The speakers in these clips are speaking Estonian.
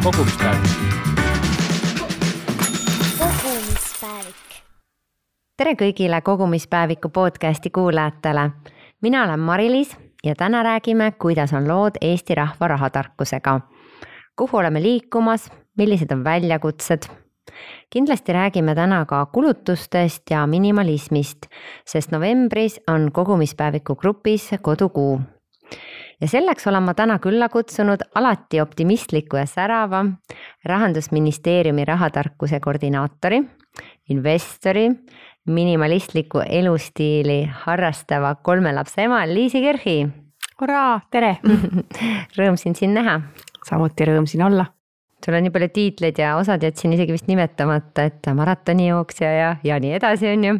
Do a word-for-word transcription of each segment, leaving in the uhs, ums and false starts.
kogumispäevik. kogumispäevik. Tere kõigile kogumispäeviku podcasti kuulajatele. Mina olen Mari-Liis ja täna räägime, kuidas on lood Eesti rahva rahatarkusega. Kuhu oleme liikumas, millised on väljakutsed? Kindlasti räägime täna ka kulutustest ja minimalismist, sest novembris on kogumispäeviku grupis kodukuu. Ja selleks olen ma täna külla kutsunud alati optimistliku ja särava Rahandusministeeriumi rahatarkuse koordinaatori, investori, minimalistliku elustiili harrastava kolme lapse ema Liisi Kerhi. Uraa, tere! Rõõm sind siin näha. Samuti rõõm siin olla. Sul on nii palju tiitleid ja osad jätsin isegi vist nimetamata, et maratonijooksja ja, ja nii edasi on ju.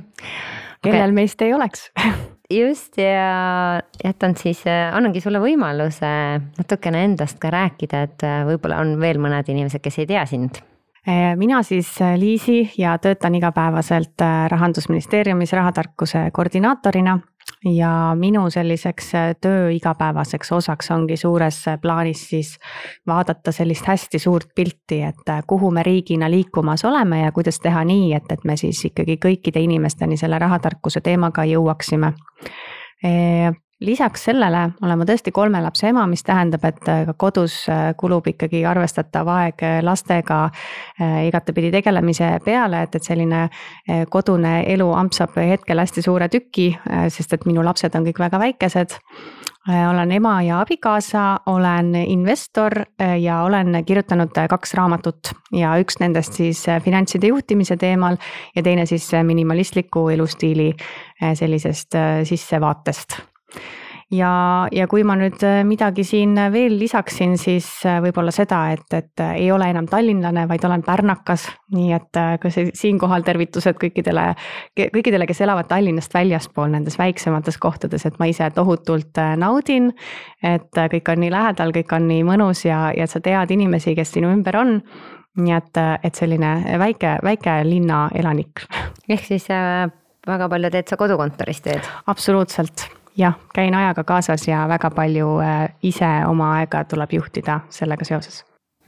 Kellel okay. Meist ei oleks. Just ja jätan siis, annangi sulle võimaluse natukene endast ka rääkida, et võib-olla on veel mõned inimesed, kes ei tea sind. Mina siis Liisi ja töötan igapäevaselt Rahandusministeeriumis rahatarkuse koordinaatorina ja minu selliseks töö igapäevaseks osaks ongi suures plaanis siis vaadata sellist hästi suurt pilti, et kuhu me riigina liikumas oleme ja kuidas teha nii, et, et me siis ikkagi kõikide inimesteni selle rahatarkuse teemaga jõuaksime. Lisaks sellele olen ma tõesti kolme lapse ema, mis tähendab, et ka kodus kulub ikkagi arvestatav aeg lastega igatepidi tegelemise peale, et, et selline kodune elu ampsab hetkel hästi suure tüki, sest et minu lapsed on kõik väga väikesed. Olen ema ja abikaasa, olen investor ja olen kirjutanud kaks raamatut ja üks nendest siis finantside juhtimise teemal ja teine siis minimalistliku elustiili sellisest sissevaatest. Ja, ja kui ma nüüd midagi siin veel lisaksin, siis võib-olla seda, et, et ei ole enam tallinlane, vaid olen pärnakas. Nii et ka siinkohal tervitused kõikidele, kõikidele, kes elavad Tallinnast väljaspool nendes väiksemates kohtades, et ma ise tohutult naudin, et kõik on nii lähedal, kõik on nii mõnus ja, ja sa tead inimesi, kes sinu ümber on. Nii et, et selline väike, väike linna elanik. Ehk siis väga palju teed sa kodukontorist teed? Absoluutselt. Jah, käin ajaga kaasas ja väga palju ise oma aega tuleb juhtida sellega seoses.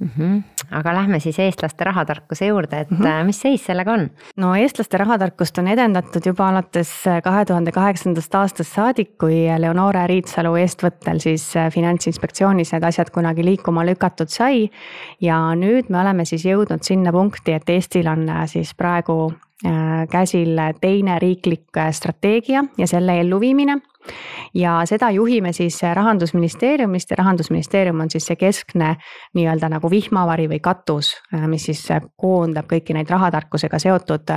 Mm-hmm. Aga lähme siis eestlaste rahatarkuse juurde, et mm-hmm. mis seis sellega on? No eestlaste rahatarkust on edendatud juba alates kahe tuhande kaheksandast aastast saadik, kui Leonora Riitsalu eestvõttel siis Finantsinspektsioonis need asjad kunagi liikuma lükatud sai. Ja nüüd me oleme siis jõudnud sinna punkti, et Eestil on siis praegu käsil teine riiklik strateegia ja selle elluviimine. Ja seda juhime siis Rahandusministeeriumist ja Rahandusministeerium on siis see keskne nii-öelda nagu vihmavari või katus, mis siis koondab kõiki neid rahatarkusega seotud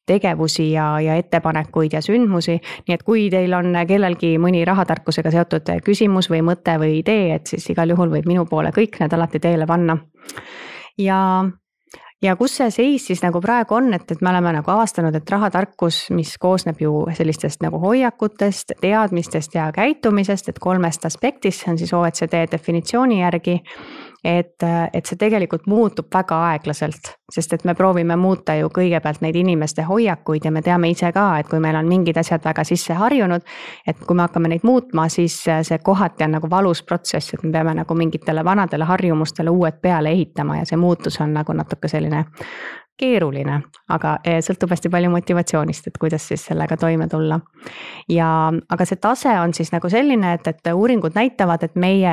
tegevusi ja, ja ettepanekuid ja sündmusi. Nii et kui teil on kellelgi mõni rahatarkusega seotud küsimus või mõte või idee, et siis igal juhul võib minu poole kõik need alati teele panna. Ja Ja kus see seis siis nagu praegu on, et, et me oleme nagu avastanud, et rahatarkus, mis koosneb ju sellistest nagu hoiakutest, teadmistest ja käitumisest, et kolmest aspektist, see on siis O E C D definitsiooni järgi, et, et see tegelikult muutub väga aeglaselt, sest et me proovime muuta ju kõigepealt neid inimeste hoiakuid ja me teame ise ka, et kui meil on mingid asjad väga sisse harjunud, et kui me hakkame neid muutma, siis see kohati on nagu valus protsess, et me peame nagu mingitele vanadele harjumustele uued peale ehitama ja see muutus on nagu natuke selline keeruline, aga sõltub hästi palju motivatsioonist, et kuidas siis sellega toime tulla. Ja, aga see tase on siis nagu selline, et, et uuringud näitavad, et meie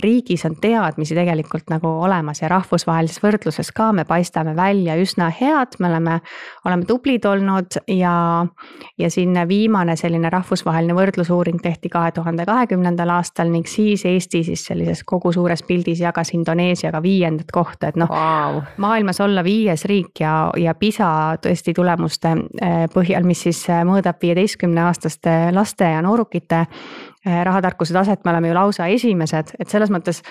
riigis on teadmisi tegelikult nagu olemas ja rahvusvahelises võrdluses ka me paistame välja üsna head, me oleme, oleme tublid olnud ja, ja siin viimane selline rahvusvaheline võrdlusuuring tehti kahe tuhande kahekümnendal aastal ning siis Eesti siis sellises kogu suures pildis jagas Indoneesiaga viiendat kohta, et noh, wow. Maailmas olla viies riik ja, ja PISA tõesti tulemuste põhjal, mis siis mõõdab viieteistkümne aastaste laste ja noorukite rahatarkuse taset, me oleme ju lausa esimesed, et selles mõttes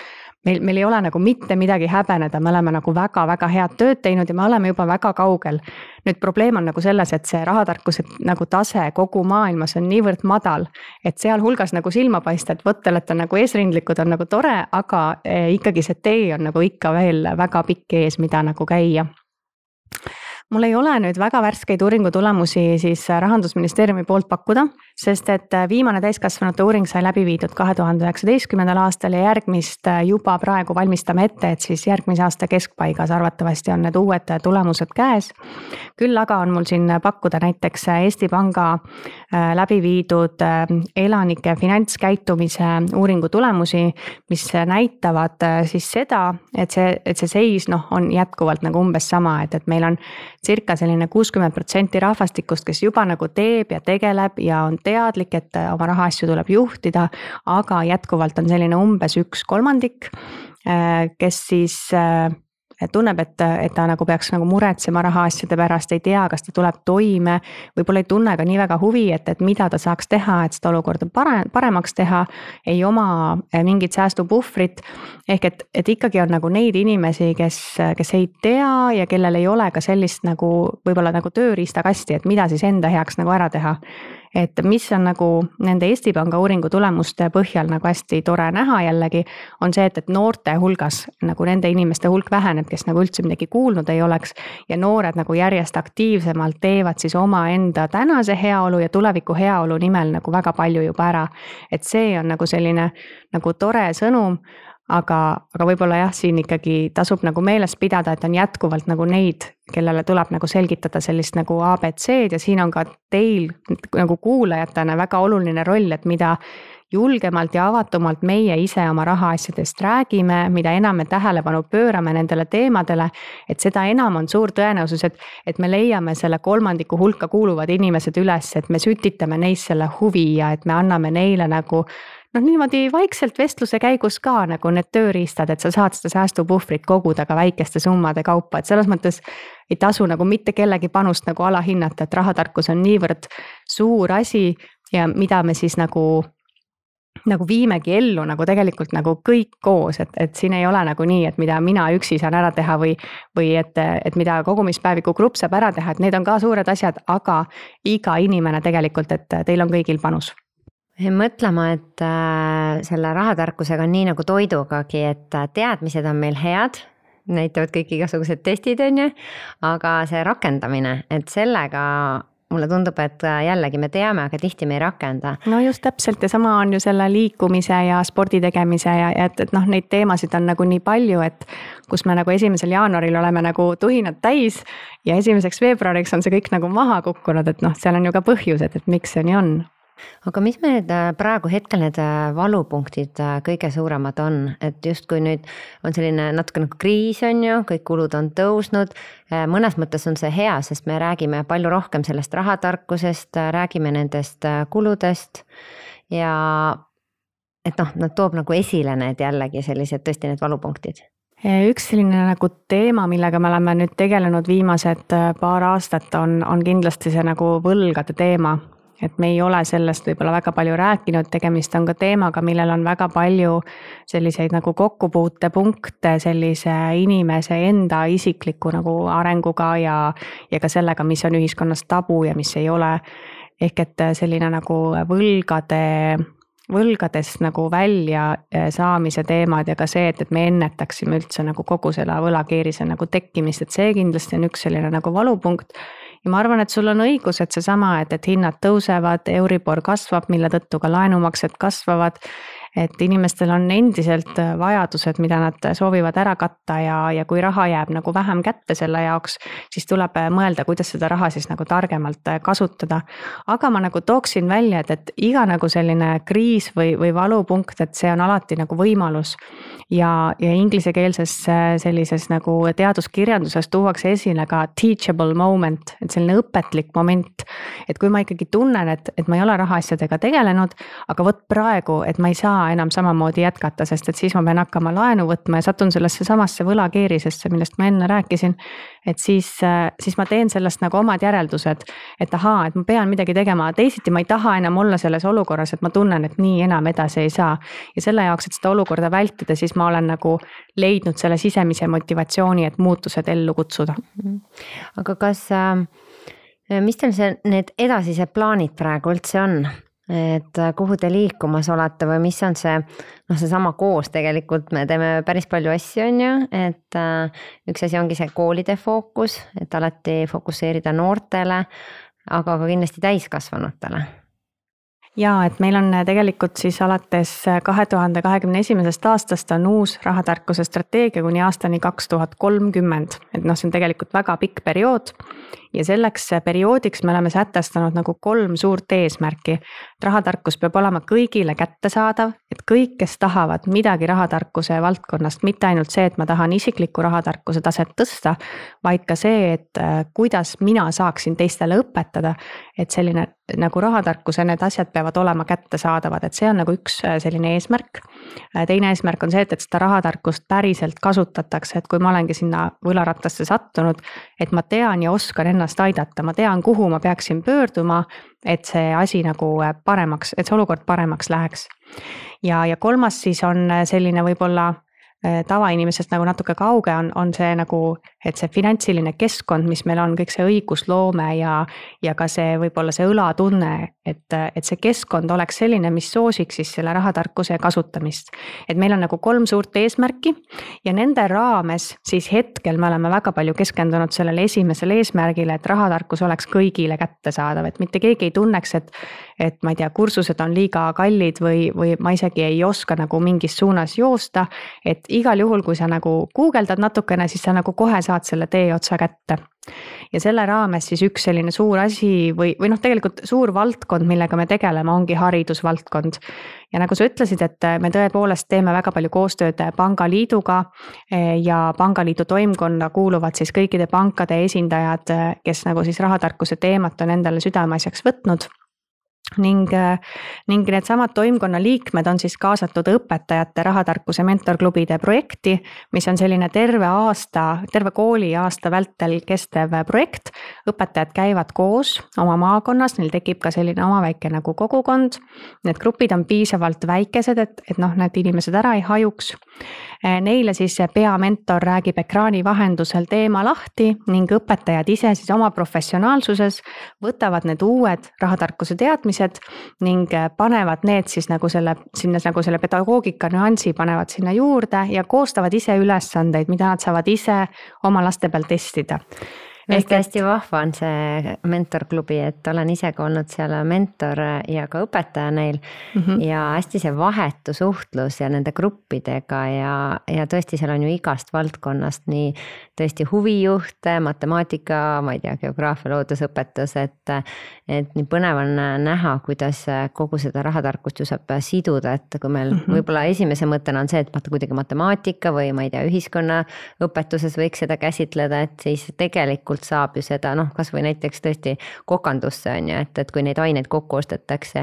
meil, meil ei ole nagu mitte midagi häbeneda, me oleme nagu väga-väga head tööd teinud ja me oleme juba väga kaugel. Nüüd probleem on nagu selles, et see rahatarkuse nagu tase kogu maailmas on niivõrd madal, et seal hulgas nagu silma paista, et võttel, et on nagu eesrindlikud, on nagu tore, aga ikkagi see tee on nagu ikka veel väga pikk ees, mida nagu käia. Mul ei ole nüüd väga värskeid uuringu tulemusi siis Rahandusministeeriumi poolt pakkuda, sest et viimane täiskasvanute uuring sai läbi viidud kahe tuhande üheksateistkümnendal aastal ja järgmist juba praegu valmistame ette, et siis järgmise aasta keskpaigas arvatavasti on need uued tulemused käes. Küll aga on mul siin pakkuda näiteks Eesti Panga läbi viidud elanike finantskäitumise uuringu tulemusi, mis näitavad siis seda, et see, et see seis noh, on jätkuvalt nagu umbes sama, et, et meil on circa selline kuuskümmend protsenti rahvastikust, kes juba nagu teeb ja tegeleb ja on teadlik, et oma rahaasju tuleb juhtida, aga jätkuvalt on selline umbes üks kolmandik, kes siis tunneb, et, et ta nagu peaks nagu muretsema rahaasjade pärast, ei tea, kas ta tuleb toime, võib-olla ei tunne ka nii väga huvi, et, et mida ta saaks teha, et seda olukorda pare, paremaks teha, ei oma mingit säästupuhvrit, ehk et, et ikkagi on nagu neid inimesi, kes, kes ei tea ja kellel ei ole ka sellist nagu võib-olla nagu tööriistakasti, et mida siis enda heaks nagu ära teha. Et mis on nagu nende Eesti Panga uuringu tulemuste põhjal nagu hästi tore näha jällegi, on see, et, et noorte hulgas nagu nende inimeste hulk väheneb, kes nagu üldse midagi kuulnud ei oleks ja noored nagu järjest aktiivsemalt teevad siis oma enda tänase heaolu ja tuleviku heaolu nimel nagu väga palju juba ära. Et see on nagu selline nagu tore sõnum, aga, aga võib-olla jah, siin ikkagi tasub nagu meeles pidada, et on jätkuvalt nagu neid, kellele tuleb nagu selgitada sellist nagu A B C-d ja siin on ka teil nagu kuulajatena väga oluline roll, et mida julgemalt ja avatumalt meie ise oma rahaasjadest räägime, mida enam me tähelepanu pöörame nendele teemadele, et seda enam on suur tõenäosus, et, et me leiame selle kolmandiku hulka kuuluvad inimesed üles, et me sütitame neis selle huvi ja et me anname neile nagu noh, niimoodi vaikselt vestluse käigus ka nagu need tööriistad, et sa saad seda säästupuhvrit koguda ka väikeste summade kaupa, et selles mõttes ei tasu nagu mitte kellegi panust nagu alahinnata, et rahatarkus on niivõrd suur asi ja mida me siis nagu nagu viimegi ellu nagu tegelikult nagu kõik koos, et, et siin ei ole nagu nii, et mida mina üksi saan ära teha või, või et, et mida kogumispäeviku grupp saab ära teha, et need on ka suured asjad, aga iga inimene tegelikult, et teil on kõigil panus. Mõtlema, et selle rahatarkusega on nii nagu toidugagi, et teadmised on meil head, näitavad kõik igasugused testid on ju, aga see rakendamine, et sellega mulle tundub, et jällegi me teame, aga tihti me ei rakenda. No just täpselt ja sama on ju selle liikumise ja spordi tegemise ja et, et noh, neid teemasid on nagu nii palju, et kus me nagu esimesel jaanuaril oleme nagu tuhinad täis ja esimeseks veebruariks on see kõik nagu maha kukkunud, et noh, seal on ju ka põhjused, et miks see nii on. Aga mis me need praegu hetkel need valupunktid kõige suuremad on, et justkui nüüd on selline natuke nagu kriis on ju, kõik kulud on tõusnud, mõnes mõttes on see hea, sest me räägime palju rohkem sellest rahatarkusest, räägime nendest kuludest ja et noh, nad toob nagu esile need jällegi sellised tõesti need valupunktid. Üks selline nagu teema, millega me oleme nüüd tegelenud viimased paar aastat on, on kindlasti see nagu võlgade teema. Et me ei ole sellest võib-olla väga palju rääkinud, tegemist on ka teemaga, millel on väga palju selliseid nagu kokkupuutepunkte sellise inimese enda isikliku nagu arenguga ja, ja ka sellega, mis on ühiskonnas tabu ja mis ei ole. Ehk et selline nagu võlgade, võlgadest nagu välja saamise teemad ja ka see, et, et me ennetaksime üldse nagu kogu selle võlakeerise nagu tekkimist, et see kindlasti on üks selline nagu valupunkt. Ja ma arvan, et sul on õigus, et see sama, et, et hinnad tõusevad, Euribor kasvab, mille tõttu ka laenumaksed kasvavad, et inimestel on endiselt vajadused, mida nad soovivad ära katta ja, ja kui raha jääb nagu vähem kätte selle jaoks, siis tuleb mõelda, kuidas seda raha siis nagu targemalt kasutada. Aga ma nagu tooksin välja, et, et iga nagu selline kriis või, või valupunkt, et see on alati nagu võimalus ja, ja inglisekeelses sellises nagu teaduskirjanduses tuuakse esile ka teachable moment, et selline õpetlik moment, et kui ma ikkagi tunnen, et, et ma ei ole rahaasjadega tegelenud, aga võt praegu, et ma ei saa enam samamoodi jätkata, sest et siis ma pean hakkama laenu võtma ja satun sellesse samasse võlakeerisesse, millest ma enne rääkisin, et siis, siis ma teen sellest nagu omad järeldused, et ahaa, et ma pean midagi tegema, teisiti ma ei taha enam olla selles olukorras, et ma tunnen, et nii enam edasi ei saa. Ja selle jaoks, et seda olukorda vältida, siis ma olen nagu leidnud selle sisemise motivatsiooni, et muutused ellu kutsuda. Aga kas, mis teil see, need edasised plaanid praegu üldse on? Et kuhu te liikumas olete või mis on see, noh see sama koos tegelikult, me teeme päris palju asju on ju, et üks asi ongi see koolide fookus, et alati fokusseerida noortele, aga ka kindlasti täiskasvanutele. ja et meil on tegelikult siis alates kahe tuhande kahekümne esimesest aastast on uus rahatarkuse strateegia kuni aastani kaks tuhat kolmkümmend, et noh, see on tegelikult väga pikk periood ja selleks perioodiks me oleme sätestanud nagu kolm suurt eesmärki. Rahatarkus peab olema kõigile kättesaadav, et kõik, kes tahavad midagi rahatarkuse valdkonnast, mitte ainult see, et ma tahan isikliku rahatarkuse taset tõsta, vaid ka see, et kuidas mina saaksin teistele õpetada, et selline nagu rahatarkuse need asjad peavad olema kättesaadavad, et see on nagu üks selline eesmärk. Teine eesmärk on see, et, et seda rahatarkust päriselt kasutatakse, et kui ma olengi sinna võlarattasse sattunud, et ma tean ja oskan ennast aidata, ma tean, kuhu ma peaksin pöörduma, et see asi nagu paremaks, et see olukord paremaks läheks. Ja, ja kolmas siis on selline võib-olla tavainimesest nagu natuke kauge on, on see nagu, et see finantsiline keskkond, mis meil on, kõik see õigusloome ja, ja ka see võib-olla see õlatunne, et, et see keskkond oleks selline, mis soosiks siis selle rahatarkuse kasutamist. Et meil on nagu kolm suurt eesmärki ja nende raames siis hetkel me oleme väga palju keskendunud sellele esimesele eesmärgile, et rahatarkus oleks kõigile kättesaadav, et mitte keegi ei tunneks, et, et ma ei tea, kursused on liiga kallid või, või ma isegi ei oska nagu mingis suunas joosta, et igal juhul, kui sa nagu guugeldad natukene, siis sa nagu kohe saad selle tee otsa kätte. Ja selle raames siis üks selline suur asi või, või noh, tegelikult suur valdkond, millega me tegeleme, ongi haridusvaldkond. Ja nagu sa ütlesid, et me tõepoolest teeme väga palju koostööd Pangaliiduga ja Pangaliidu toimkonna kuuluvad siis kõikide pankade esindajad, kes nagu siis rahatarkuse teemat on endale südameasjaks võtnud. Ning, ning need samad toimkonna liikmed on siis kaasatud õpetajate rahatarkuse mentorklubide projekti, mis on selline terve aasta, terve kooli aasta vältel kestev projekt. Õpetajad käivad koos oma maakonnas, neil tekib ka selline oma väike nagu kogukond. Need grupid on piisavalt väikesed, et, et noh, need inimesed ära ei hajuks. Neile siis peamentor räägib ekraani vahendusel teema lahti ning õpetajad ise siis oma professionaalsuses võtavad need uued rahatarkuse teadmised ning panevad need siis nagu selle, sinna nagu selle pedagoogika nüansi panevad sinna juurde ja koostavad ise ülesandeid, mida nad saavad ise oma laste peal testida. Ehk hästi vahva on see mentorklubi, et olen ise ka olnud seal mentor ja ka õpetaja neil mm -hmm. ja hästi see vahetu suhtlus ja nende gruppidega ja, ja tõesti seal on ju igast valdkonnast nii tõesti huvijuhte, matemaatika, ma ei tea, geograafia, loodusõpetus, et, et nii põnev on näha, kuidas kogu seda rahatarkust ju saab siduda, et kui meil mm -hmm. võib-olla esimese mõttena on see, et vaata kuidagi matemaatika või ma ei tea, ühiskonnaõpetuses võiks seda käsitleda, et siis tegelikult saab ju seda, noh, kas või näiteks tõesti kokandusse on ju, et, et kui neid aineid kokku ostetakse,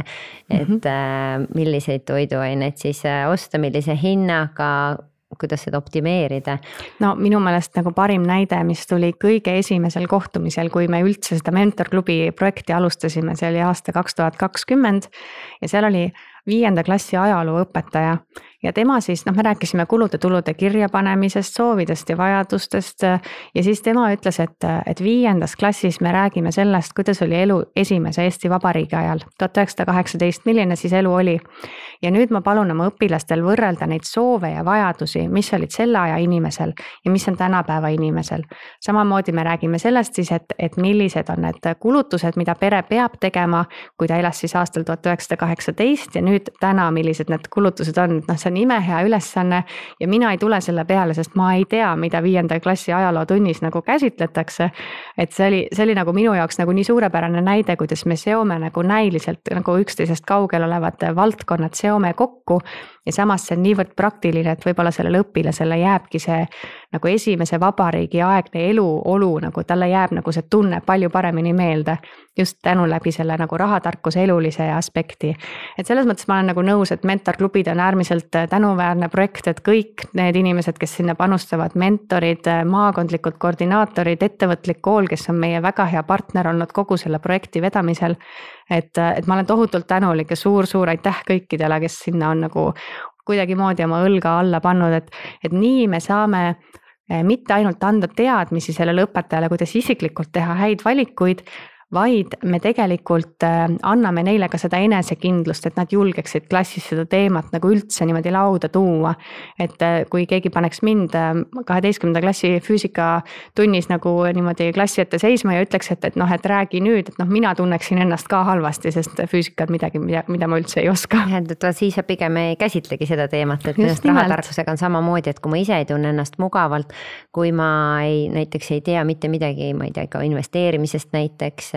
et mm -hmm. milliseid toiduaineid siis osta, millise hinnaga, kuidas seda optimeerida? No minu meelest nagu parim näide, mis tuli kõige esimesel kohtumisel, kui me üldse seda mentorklubi projekti alustasime, see oli aasta kaks tuhat kakskümmend ja seal oli viienda klassi ajaloo õpetaja ja tema siis, noh, me rääkisime kulude-tulude kirjapanemisest, soovidest ja vajadustest ja siis tema ütles, et, et viiendas klassis me räägime sellest, kuidas oli elu esimese Eesti Vabariigi ajal, tuhat üheksasada kaheksateist, milline siis elu oli. Ja nüüd ma palun oma õpilastel võrrelda neid soove ja vajadusi, mis olid selle aja inimesel ja mis on tänapäeva inimesel. Samamoodi me räägime sellest siis, et, et millised on need kulutused, mida pere peab tegema, kui ta elas siis aastal tuhat üheksasada kaheksateist ja nüüd täna, millised need kulutused on, noh, see on imehea ülesanne ja mina ei tule selle peale, sest ma ei tea, mida viienda klassi ajalootunnis nagu käsitletakse. Et see oli, see oli nagu minu jaoks nagu nii suurepärane näide, kuidas me seome nagu näiliselt nagu üksteisest kaugel olevad valdkonnad seome kokku ja samas see on niivõrd praktiline, et võib-olla sellele õpilasele jääbki see nagu esimese vabariigi aegne eluolu, nagu talle jääb nagu see tunne palju paremini meelde just tänu läbi selle nagu rahatarkuse elulise aspekti. Et selles mõttes ma olen nagu nõus, et mentorklubid on äärmiselt tänuväärne projekt, et kõik need inimesed, kes sinna panustavad, mentorid, maakondlikud koordinaatorid, ettevõtlik kool, kes on meie väga hea partner olnud kogu selle projekti vedamisel, et, et ma olen tohutult tänulik ja suur-suur aitäh kõikidele, kes sinna on nagu kuidagimoodi oma õlga alla pannud, et, et nii me saame mitte ainult anda teadmisi sellele õpetajale, kuidas isiklikult teha häid valikuid, vaid me tegelikult anname neile ka seda enesekindlust, et nad julgeksid klassis seda teemat nagu üldse niimoodi lauda tuua. Et kui keegi paneks mind kaheteistkümnenda klassi füüsikatunnis nagu niimoodi klassi ette seisma ja ütleks, et, et noh, et räägi nüüd, et noh, mina tunneksin ennast ka halvasti, sest füüsika on midagi, mida, mida ma üldse ei oska. Et siis pigem ei käsitlegi seda teemat, et minust rahatarkusega on samamoodi, et kui ma ise ei tunne ennast mugavalt, kui ma ei, näiteks ei tea mitte midagi, ma ei tea, ka investeerimisest näiteks,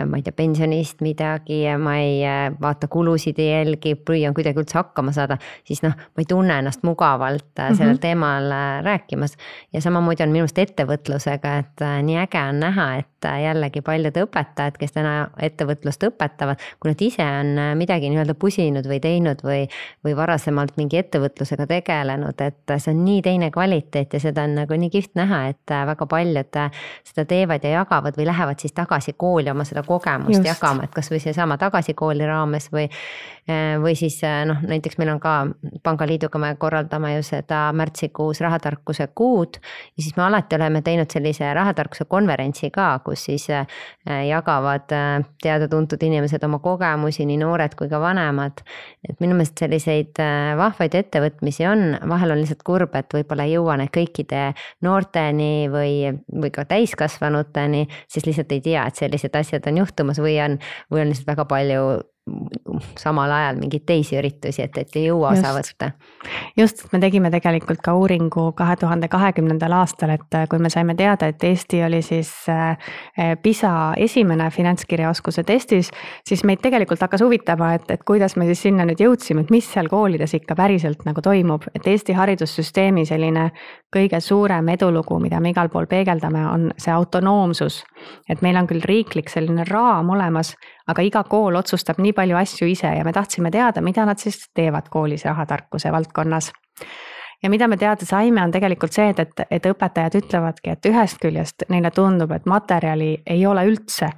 ma ei tea, pensionist midagi, ma ei vaata kulusid ei jälgi, püüan kuidagi üldse hakkama saada, siis noh, ma ei tunne ennast mugavalt sellel mm-hmm. teemal rääkimas. Ja samamoodi on minust ettevõtlusega, et nii äge on näha, et jällegi paljud õpetajad, kes täna ettevõtlust õpetavad, kui nad ise on midagi nii-öelda pusinud või teinud või, või varasemalt mingi ettevõtlusega tegelenud, et see on nii teine kvaliteet ja seda on nagu nii kihvt näha, et väga paljud seda teevad ja jagavad või lähevad siis tagasi kooli oma seda kogemust Just. jagama, et kas või see sama tagasi kooli raames või, või siis noh, näiteks meil on ka Pangaliiduga me korraldame ju seda märtsikuus rahatarkuse kuud ja siis me alati oleme teinud sellise rahatarkuse konverentsi ka, kus siis jagavad teada-tuntud inimesed oma kogemusi, nii noored kui ka vanemad. Et minu meelest selliseid vahvaid ettevõtmisi on, vahel on lihtsalt kurb, et võib-olla ei jõua need kõikide noorteni või, või ka täiskasvanuteni, siis lihtsalt ei tea, et sellised asjad on juhtumas või on, või on lihtsalt väga palju samal ajal mingeid teisi üritusi, et, et ei jõua osa võtta. Just, me tegime tegelikult ka uuringu kahe tuhande kahekümnendal aastal, et kui me saime teada, et Eesti oli siis PISA esimene finantskirjaoskuse testis, siis meid tegelikult hakkas huvitama, et, et kuidas me siis sinna nüüd jõudsime, et mis seal koolides ikka päriselt nagu toimub, et Eesti haridussüsteemi selline kõige suurem edulugu, mida me igal pool peegeldame, on see autonoomsus, et meil on küll riiklik selline raam olemas, aga iga kool otsustab nii palju asju ise ja me tahtsime teada, mida nad siis teevad koolis rahatarkuse valdkonnas. Ja mida me teada saime, on tegelikult see, et, et õpetajad ütlevadki, et ühest küljest neile tundub, et materjali ei ole üldse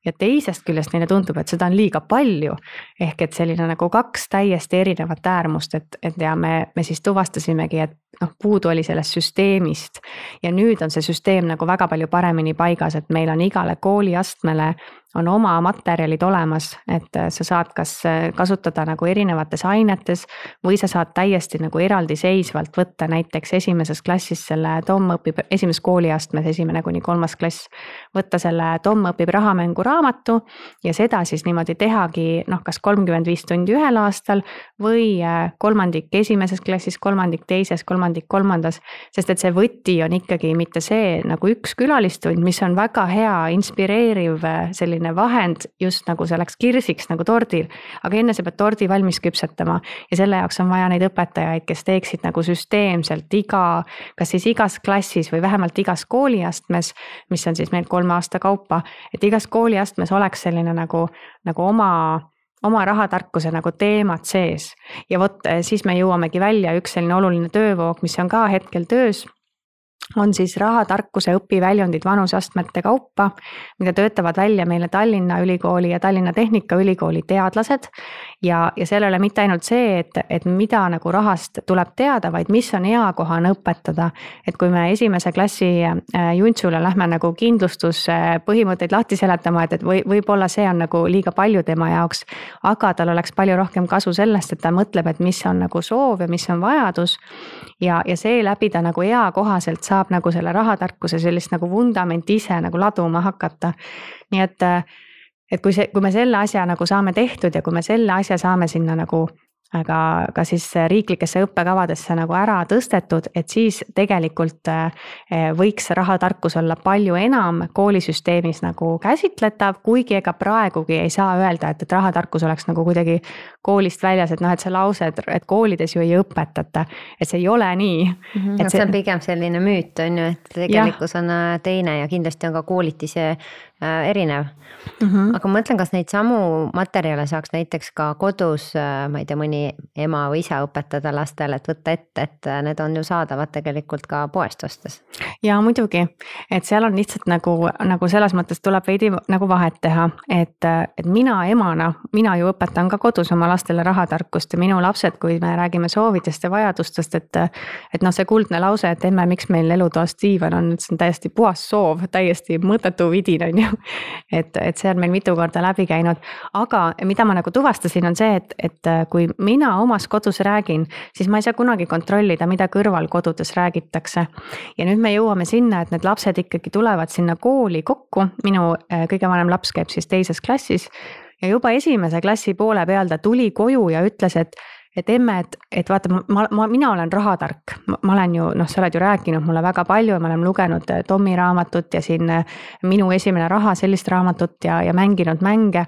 ja teisest küljest neile tundub, et seda on liiga palju. Ehk et selline nagu kaks täiesti erinevat äärmust, et, et ja me, me siis tuvastasimegi, et noh, puudu oli sellest süsteemist ja nüüd on see süsteem nagu väga palju paremini paigas, et meil on igale kooliastmele on oma materjalid olemas, et sa saad kas kasutada nagu erinevates ainetes või sa saad täiesti nagu eraldiseisvalt võtta näiteks esimeses klassis selle Tom õpib, esimeses kooliastmes esimene kuni kolmas klass, võtta selle Tom õpib rahamängu raamatu ja seda siis niimoodi tehagi noh, kas kolmkümmend viis tundi ühel aastal või kolmandik esimeses klassis, kolmandik teises, kolmandik kolmandas, sest et see võti on ikkagi mitte see nagu üks külalistund, mis on väga hea, inspireeriv selline vahend just nagu selleks kirsiks nagu tordil, aga enne sa pead tordi valmis küpsetama ja selle jaoks on vaja neid õpetajaid, kes teeksid nagu süsteemselt iga, kas siis igas klassis või vähemalt igas kooliastmes, mis on siis meil kolme aasta kaupa, et igas kooliastmes oleks selline nagu, nagu oma oma rahatarkuse nagu teemad sees ja vot siis me jõuamegi välja üks selline oluline töövoog, mis on ka hetkel töös, on siis rahatarkuse õpiväljundid vanuseastmete kaupa, mida töötavad välja meile Tallinna Ülikooli ja Tallinna Tehnikaülikooli teadlased ja, ja seal ei ole mitte ainult see, et, et mida nagu rahast tuleb teada, vaid mis on eakohane õpetada, et kui me esimese klassi juntsule lähme nagu kindlustuspõhimõtteid lahti seletama, et, et või, võib-olla see on nagu liiga palju tema jaoks, aga tal oleks palju rohkem kasu sellest, et ta mõtleb, et mis on nagu soov ja mis on vajadus ja, ja see läbi ta nagu eakohaselt saab nagu selle rahatarkuse sellist nagu vundament ise nagu laduma hakata. Nii et, et kui, see, kui me selle asja nagu saame tehtud ja kui me selle asja saame sinna nagu aga ka siis riiklikesse õppekavadesse nagu ära tõstetud, et siis tegelikult võiks rahatarkus olla palju enam koolisüsteemis nagu käsitletav, kuigi ega praegugi ei saa öelda, et, et rahatarkus oleks nagu kuidagi koolist väljas, et noh, et see lause, et, et koolides ju ei õpetata, et see ei ole nii. Mm-hmm. Et see, see on pigem selline müüt, on ju, et tegelikkus on teine ja kindlasti on ka koolitise erinev. Mm-hmm. Aga ma mõtlen, kas neid samu materjale saaks näiteks ka kodus, ma ei tea, mõni ema või isa õpetada lastele, et võtta ette, et need on ju saadavad tegelikult ka poest ostes. ja muidugi, et seal on lihtsalt nagu, nagu selles mõttes tuleb veidi nagu vahet teha, et, et mina emana, mina ju õpetan ka kodus oma lastele rahatarkust ja minu lapsed, kui me räägime soovidest ja vajadustest, et, et noh, see kuldne lause, et emme, miks meil elutoast diivan on, et see on täiesti puhas soov, täiesti mõttetu vidin on ju. et, et see on meil mitu korda läbi käinud, aga mida ma nagu tuvastasin, on see, et, et kui mina omas kodus räägin, siis ma ei saa kunagi kontrollida, mida kõrvalkodudes räägitakse. Ja nüüd me jõuame sinna, et need lapsed ikkagi tulevad sinna kooli kokku, minu kõige vanem laps käib siis teises klassis ja juba esimese klassi poole peal ta tuli koju ja ütles, et et emme, et, et vaata, ma, ma, mina olen rahatark, ma olen ju, noh, sa oled ju rääkinud mulle väga palju ja me oleme lugenud Tommi raamatut ja siin minu esimene raha, sellist raamatut ja, ja mänginud mänge.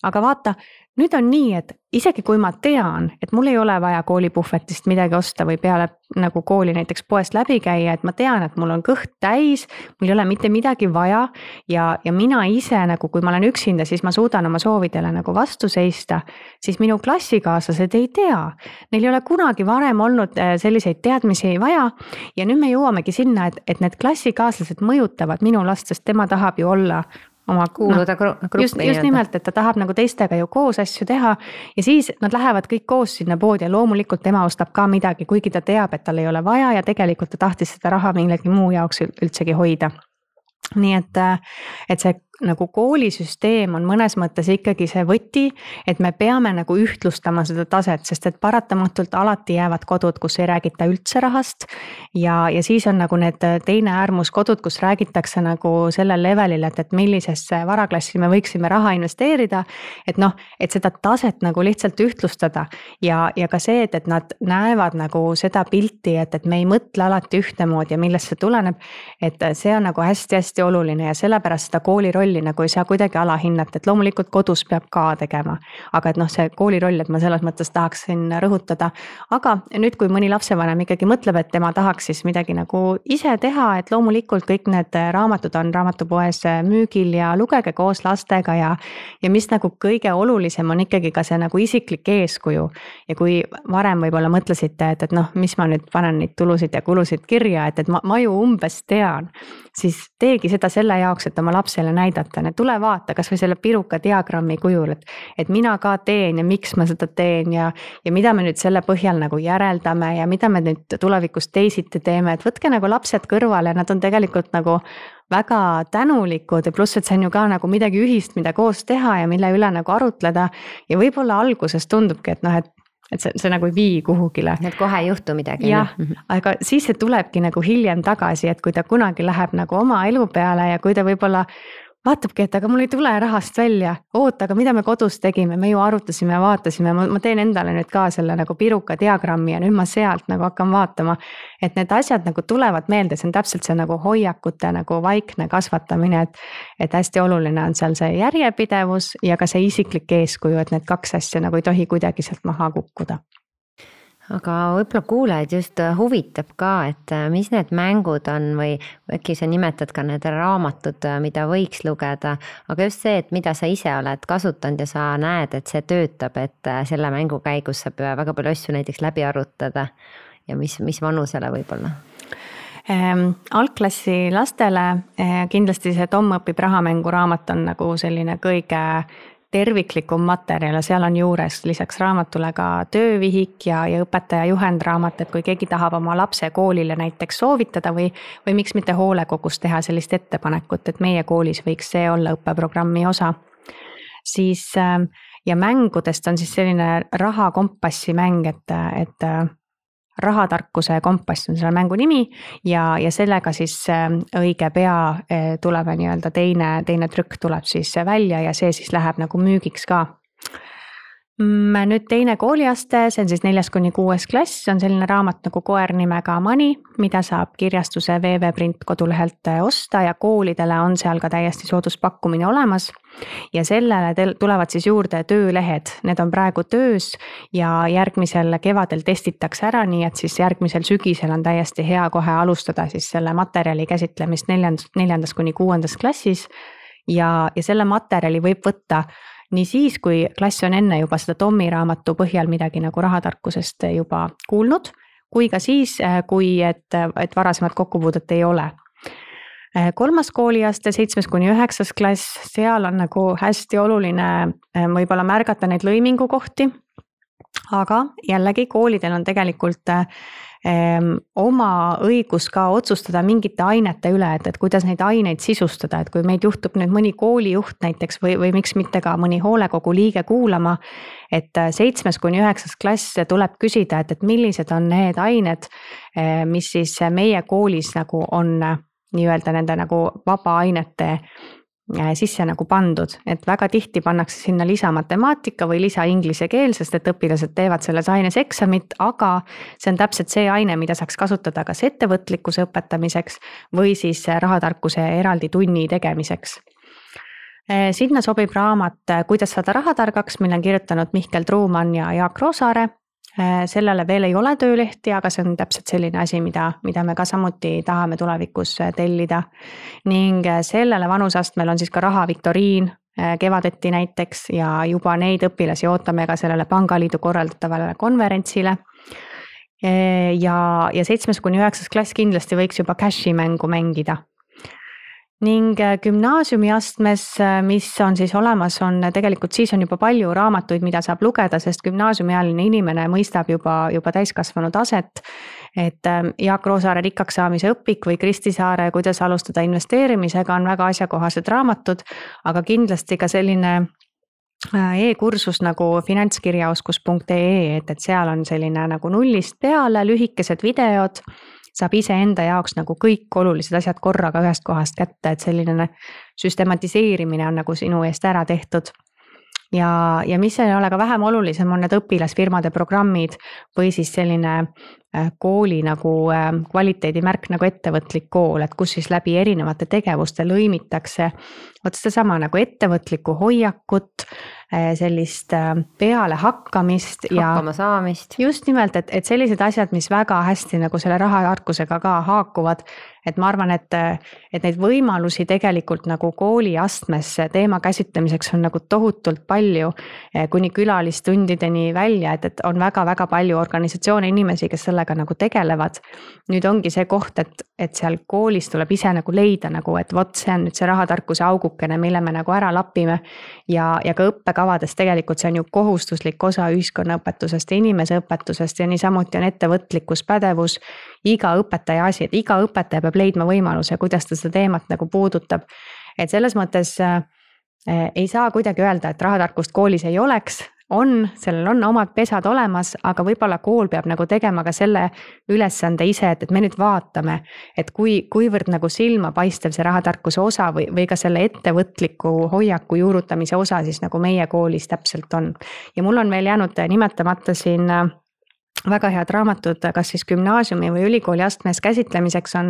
Aga vaata, nüüd on nii, et isegi kui ma tean, et mul ei ole vaja koolipuhvetist midagi osta või peale nagu kooli näiteks poest läbi käia, et ma tean, et mul on kõht täis, mul ei ole mitte midagi vaja ja, ja mina ise nagu, kui ma olen üksinda, siis ma suudan oma soovidele nagu vastu seista, siis minu klassikaaslased ei tea. Neil ei ole kunagi varem olnud selliseid teadmisi vaja ja nüüd me jõuamegi sinna, et, et need klassikaaslased mõjutavad minu last, sest tema tahab ju olla oma kuuluda no, gruppi. Just, just nimelt, et ta tahab nagu teistega ju koos asju teha ja siis nad lähevad kõik koos sinna poodi ja loomulikult tema ostab ka midagi, kuigi ta teab, et tal ei ole vaja ja tegelikult ta tahtis seda raha millegi muu jaoks üldsegi hoida. Nii et, et see nagu koolisüsteem on mõnes mõttes ikkagi see võti, et me peame nagu ühtlustama seda taset, sest et paratamatult alati jäävad kodud, kus ei räägita üldse rahast ja, ja siis on nagu need teine äärmus kodud, kus räägitakse nagu sellel levelil, et, et millisesse varaklassi me võiksime raha investeerida, et noh, et seda taset nagu lihtsalt ühtlustada ja, ja ka see, et, et nad näevad nagu seda pilti, et, et me ei mõtle alati ühtemoodi ja millest see tuleneb, et see on nagu hästi-hästi oluline ja sellepärast seda kooli rolli nagu ei saa kuidagi alahinnata, et loomulikult kodus peab ka tegema, aga et noh, see kooli roll, et ma selles mõttes tahaksin rõhutada, aga nüüd, kui mõni lapsevanem ikkagi mõtleb, et tema tahaks siis midagi nagu ise teha, et loomulikult kõik need raamatud on raamatupoes müügil ja lugege koos lastega ja, ja mis nagu kõige olulisem on ikkagi ka see nagu isiklik eeskuju ja kui varem võib-olla mõtlesite, et, et noh, mis ma nüüd panen neid tulusid ja kulusid kirja, et, et ma, ma ju umbes tean, siis teegi seda selle jaoks, et oma lapsele näidata, et tule vaata kas või selle piruka diagrammi kujul, et, et mina ka teen ja miks ma seda teen ja, ja mida me nüüd selle põhjal nagu järeldame ja mida me nüüd tulevikus teisiti teeme, et võtke nagu lapsed kõrvale, nad on tegelikult nagu väga tänulikud ja pluss, et see on ju ka nagu midagi ühist, mida koos teha ja mille üle nagu arutleda ja võib-olla alguses tundubki, et noh, et et see, see nagu ei vii kuhugile. Et kohe ei juhtu midagi. Jah, aga siis see tulebki nagu hiljem tagasi, et kui ta kunagi läheb nagu oma elu peale ja kui ta võib-olla vaatabki, et aga mul ei tule rahast välja, oota, aga mida me kodus tegime, me ju arutasime ja vaatasime, ma, ma teen endale nüüd ka selle nagu piruka diagrammi ja nüüd ma sealt nagu hakkan vaatama, et need asjad nagu tulevad meelde, see on täpselt see nagu hoiakute nagu vaikne kasvatamine, et, et hästi oluline on seal see järjepidevus ja ka see isiklik eeskuju, et need kaks asja nagu ei tohi kuidagi sealt maha kukkuda. Aga võib-olla kuulajaid just huvitab ka, et mis need mängud on või äkki sa nimetad ka need raamatud, mida võiks lugeda, aga just see, et mida sa ise oled kasutanud ja sa näed, et see töötab, et selle mängu käigus saab väga palju asju näiteks läbi arutada ja mis, mis vanusele võib-olla? Ähm, algklassi lastele äh, kindlasti see Tom õpib rahamängu raamat on nagu selline kõige terviklikum materjal ja seal on juures lisaks raamatule ka töövihik ja, ja õpetaja juhendraamat, et kui keegi tahab oma lapse koolile näiteks soovitada või, või miks mitte hoolekogus teha sellist ettepanekut, et meie koolis võiks see olla õppeprogrammi osa. Siis ja mängudest on siis selline rahakompassi mäng, et, et rahatarkuse kompass on selle mängu nimi ja, ja sellega siis õige pea tuleb nii-öelda teine, teine trükk tuleb siis välja ja see siis läheb nagu müügiks ka. Nüüd teine kooliaste, see on siis neljas kuni kuues klass, on selline raamat nagu Koer nimega Mani, mida saab kirjastuse V V Print kodulehelt osta ja koolidele on seal ka täiesti sooduspakkumine olemas. Ja sellele tulevad siis juurde töölehed, need on praegu töös ja järgmisel kevadel testitakse ära, nii et siis järgmisel sügisel on täiesti hea kohe alustada siis selle materjali käsitlemist neljandas, neljandas kuni kuuendas klassis ja, ja selle materjali võib võtta nii siis, kui klass on enne juba seda Tommi raamatu põhjal midagi nagu rahatarkusest juba kuulnud, kui ka siis, kui et, et varasemat kokkupuudet ei ole. kolmas kooliaste, seitsmes kuni üheksas klass, seal on nagu hästi oluline võib-olla märgata neid lõimingu kohti, aga jällegi koolidel on tegelikult ähm, oma õigus ka otsustada mingite ainete üle, et, et kuidas neid aineid sisustada, et kui meid juhtub nüüd mõni koolijuht näiteks või, või miks mitte ka mõni hoolekogu liige kuulama, et seitsmes kuni üheksas klass tuleb küsida, et, et millised on need ained, mis siis meie koolis nagu on nii-öelda nende nagu vaba ainete sisse nagu pandud, et väga tihti pannakse sinna lisa matemaatika või lisa inglise keel, sest et õpilased teevad selles aines eksamit, aga see on täpselt see aine, mida saaks kasutada kas ettevõtlikkuse õpetamiseks või siis rahatarkuse eraldi tunni tegemiseks. Sinna sobib raamat Kuidas saada rahatargaks, mille on kirjutanud Mihkel Truumann ja Jaak Roosaare. Sellele veel ei ole töölehti, aga see on täpselt selline asi, mida, mida me ka samuti tahame tulevikus tellida. Ning sellele vanusastmel on siis ka rahaviktoriin kevadeti näiteks ja juba neid õpilasi ootame ka sellele Pangaliidu korraldatavale konverentsile. Ja, ja seitsmes kuni üheksas klass kindlasti võiks juba cashi mängu mängida. Ning gümnaasiumi astmes, mis on siis olemas, on tegelikult siis on juba palju raamatuid, mida saab lugeda, sest gümnaasiumialine inimene mõistab juba, juba täiskasvanud aset, et Jaak Roosaare Rikkaks saamise õpik või Kristi Saare Kuidas alustada investeerimisega on väga asjakohased raamatud, aga kindlasti ka selline e-kursus nagu finantskirjaoskus punkt ee, et, et seal on selline nagu nullist peale lühikesed videod, saab ise enda jaoks nagu kõik olulised asjad korraga ühest kohast kätte, et selline süstematiseerimine on nagu sinu eest ära tehtud. Ja, ja mis ei ole ka vähem olulisem, on need õpilasfirmade programmid või siis selline kooli nagu kvaliteedimärk nagu ettevõtlik kool, et kus siis läbi erinevate tegevuste lõimitakse oot sedasama nagu ettevõtlikku hoiakut, sellist peale hakkamist ja hakkama saamist. Just nimelt, et, et sellised asjad, mis väga hästi nagu selle rahatarkusega ka haakuvad, et ma arvan, et, et neid võimalusi tegelikult nagu kooli astmes teema käsitlemiseks on nagu tohutult palju kuni külalistundideni välja, et, et on väga-väga palju organisatsioone inimesi, kes sellega nagu tegelevad. Nüüd ongi see koht, et, et seal koolis tuleb ise nagu leida nagu, et vot see on nüüd see rahatarkuse augukene, mille me nagu ära lapime ja, ja ka õppekavades tegelikult see on ju kohustuslik osa ühiskonnaõpetusest ja inimeseõpetusest ja niisamuti on ettevõtlikkus, pädevus, iga õpetaja asi, et iga õpetaja peab leidma võimaluse, kuidas ta seda teemat nagu puudutab. Et selles mõttes äh, ei saa kuidagi öelda, et rahatarkust koolis ei oleks, on, sellel on omad pesad olemas, aga võib-olla kool peab nagu tegema ka selle ülesande ise, et, et me nüüd vaatame, et kui, kuivõrd nagu silma paistev see rahatarkuse osa või, või ka selle ettevõtliku hoiaku juurutamise osa siis nagu meie koolis täpselt on. Ja mul on veel jäänud nimetamata siin väga head raamatud, kas siis gümnaasiumi või ülikooli astmes käsitlemiseks on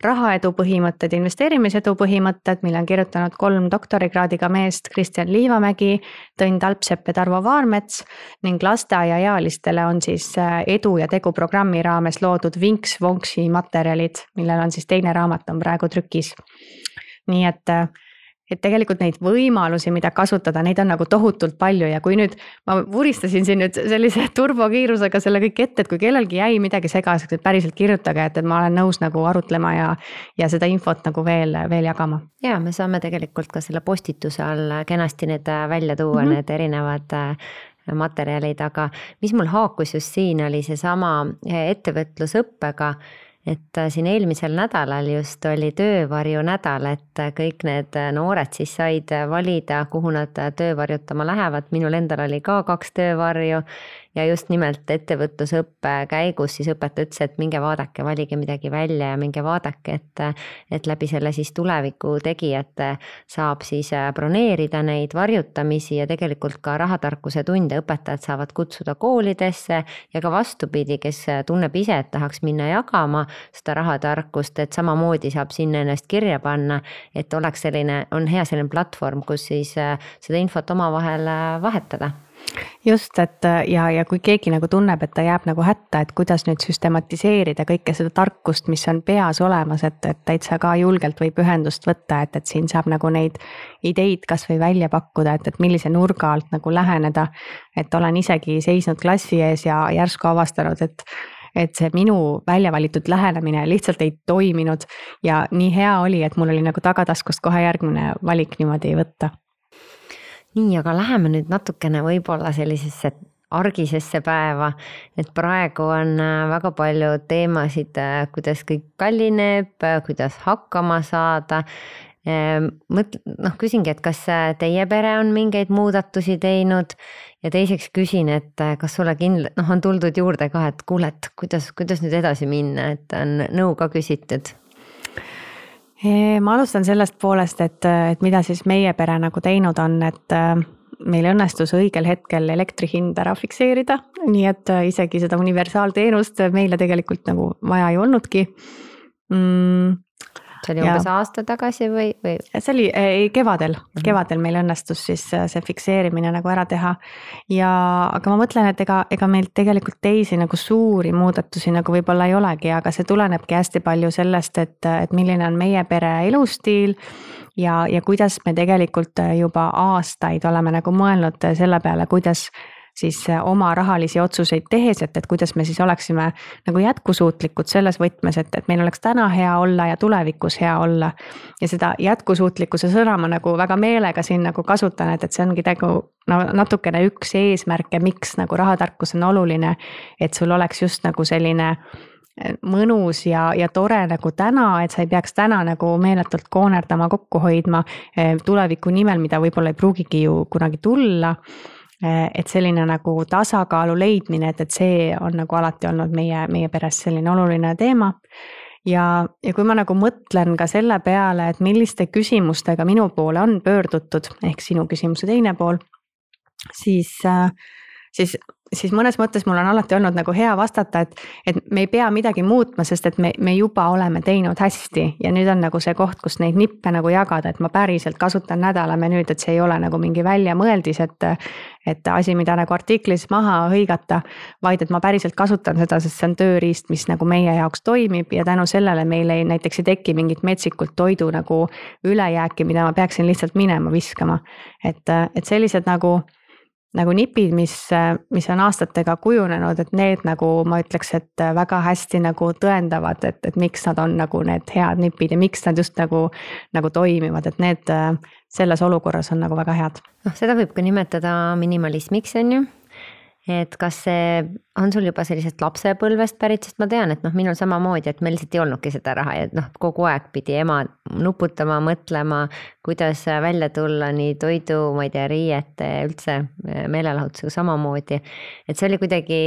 rahaedu põhimõtted, investeerimisedu põhimõtted, mille on kirjutanud kolm doktorikraadiga meest, Kristjan Liivamägi, Tõnn Talpsepp ja Tarvo Vaarmets ning lasteaiaealistele on siis edu ja tegu programmi raames loodud Vinks Vonksi materjalid, millel on siis teine raamat on praegu trükis. Nii et et tegelikult neid võimalusi, mida kasutada, neid on nagu tohutult palju ja kui nüüd ma vuristasin siin nüüd sellise turbokiirusega selle kõik ette, et kui kellelgi jäi midagi segaseks, et päriselt kirjutage, et, et ma olen nõus nagu arutlema ja, ja seda infot nagu veel, veel jagama. Ja me saame tegelikult ka selle postituse all kenasti need välja tuua, mm-hmm. need erinevad materjalid, aga mis mul haakus just siin oli see sama ettevõtlusõppega, et siin eelmisel nädalal just oli töövarju nädal, et kõik need noored siis said valida, kuhu nad töövarjutama lähevad. Minul endal oli ka kaks töövarju ja just nimelt ettevõtlusõppe käigus siis õpetaja ütles, et minge vaadake, valige midagi välja ja minge vaadake, et, et läbi selle siis tuleviku tegijate saab siis broneerida neid varjutamisi ja tegelikult ka rahatarkuse tunde õpetajad saavad kutsuda koolidesse ja ka vastupidi, kes tunneb ise, et tahaks minna jagama seda rahatarkust, et samamoodi saab sinna ennast kirja panna, et oleks selline, on hea selline platvorm, kus siis seda infot omavahel vahetada. Just, et ja, ja kui keegi nagu tunneb, et ta jääb nagu hätta, et kuidas nüüd süstematiseerida kõike seda tarkust, mis on peas olemas, et, et täitsa ka julgelt võib ühendust võtta, et, et siin saab nagu neid ideid kas või välja pakkuda, et, et millise nurga alt nagu läheneda, et olen isegi seisnud klassi ees ja järsku avastanud, et et see minu välja valitud lähenemine lihtsalt ei toiminud ja nii hea oli, et mul oli nagu tagataskust kohe järgmine valik niimoodi võtta. Nii, aga läheme nüüd natukene võib-olla sellisesse argisesse päeva, et praegu on väga palju teemasid, kuidas kõik kallineb, kuidas hakkama saada. Mõt, noh, küsingi, et kas teie pere on mingeid muudatusi teinud ja teiseks küsin, et kas sulle kindla, noh, on tuldud juurde ka, et kuule, et kuidas, kuidas nüüd edasi minna, et on nõu ka küsitud? Ma alustan sellest poolest, et, et mida siis meie pere nagu teinud on, et meil õnnestus õigel hetkel elektri hind ära fikseerida, nii et isegi seda universaalteenust meile tegelikult nagu vaja ei olnudki. Mm, see oli umbes aasta tagasi või, või? See oli ei, kevadel, kevadel meil õnnestus siis see fikseerimine nagu ära teha. Ja, aga ma mõtlen, et ega, ega meil tegelikult teisi nagu suuri muudatusi nagu võib-olla ei olegi, aga see tulenebki hästi palju sellest, et, et milline on meie pere elustiil ja, ja kuidas me tegelikult juba aastaid oleme nagu mõelnud selle peale, kuidas siis oma rahalisi otsuseid tehes, et, et kuidas me siis oleksime nagu jätkusuutlikud selles võtmes, et, et meil oleks täna hea olla ja tulevikus hea olla. Ja seda jätkusuutlikkuse sõna ma nagu väga meelega siin nagu kasutan, et, et see ongi nagu no, natukene üks eesmärke, miks nagu rahatarkus on oluline, et sul oleks just nagu selline mõnus ja, ja tore nagu täna, et sa ei peaks täna nagu meeletult koonerdama, kokku hoidma tuleviku nimel, mida võib-olla ei pruugigi ju kunagi tulla. Et selline nagu tasakaalu leidmine, et, et see on nagu alati olnud meie, meie peres selline oluline teema. Ja, ja kui ma nagu mõtlen ka selle peale, et milliste küsimustega minu poole on pöördutud, ehk sinu küsimuse teine pool, siis, siis, siis mõnes mõttes mul on alati olnud nagu hea vastata, et, et me ei pea midagi muutma, sest et me, me juba oleme teinud hästi ja nüüd on nagu see koht, kus neid nippe nagu jagada, et ma päriselt kasutan nädalamenüüd, et see ei ole nagu mingi väljamõeldis, et, et asi, mida nagu artiklis maha hõigata, vaid et ma päriselt kasutan seda, sest see on tööriist, mis nagu meie jaoks toimib ja tänu sellele meil ei näiteks ei teki mingit metsikult toidu nagu ülejääki, mida ma peaksin lihtsalt minema viskama. Et, et sellised nagu nagu nipid, mis, mis on aastatega kujunenud, et need nagu ma ütleks, et väga hästi nagu tõendavad, et, et miks nad on nagu need head nipid ja miks nad just nagu, nagu toimivad, et need selles olukorras on nagu väga head. No, seda võib ka nimetada minimalismiks, on ju? Et kas see on sul juba sellisest lapsepõlvest pärit, sest ma tean, et noh, minul samamoodi, et meil lihtsalt ei olnudki seda raha ja noh, kogu aeg pidi ema nuputama, mõtlema, kuidas välja tulla nii toidu, ma ei tea, riiete, üldse meelelahutusega samamoodi. Et see oli kuidagi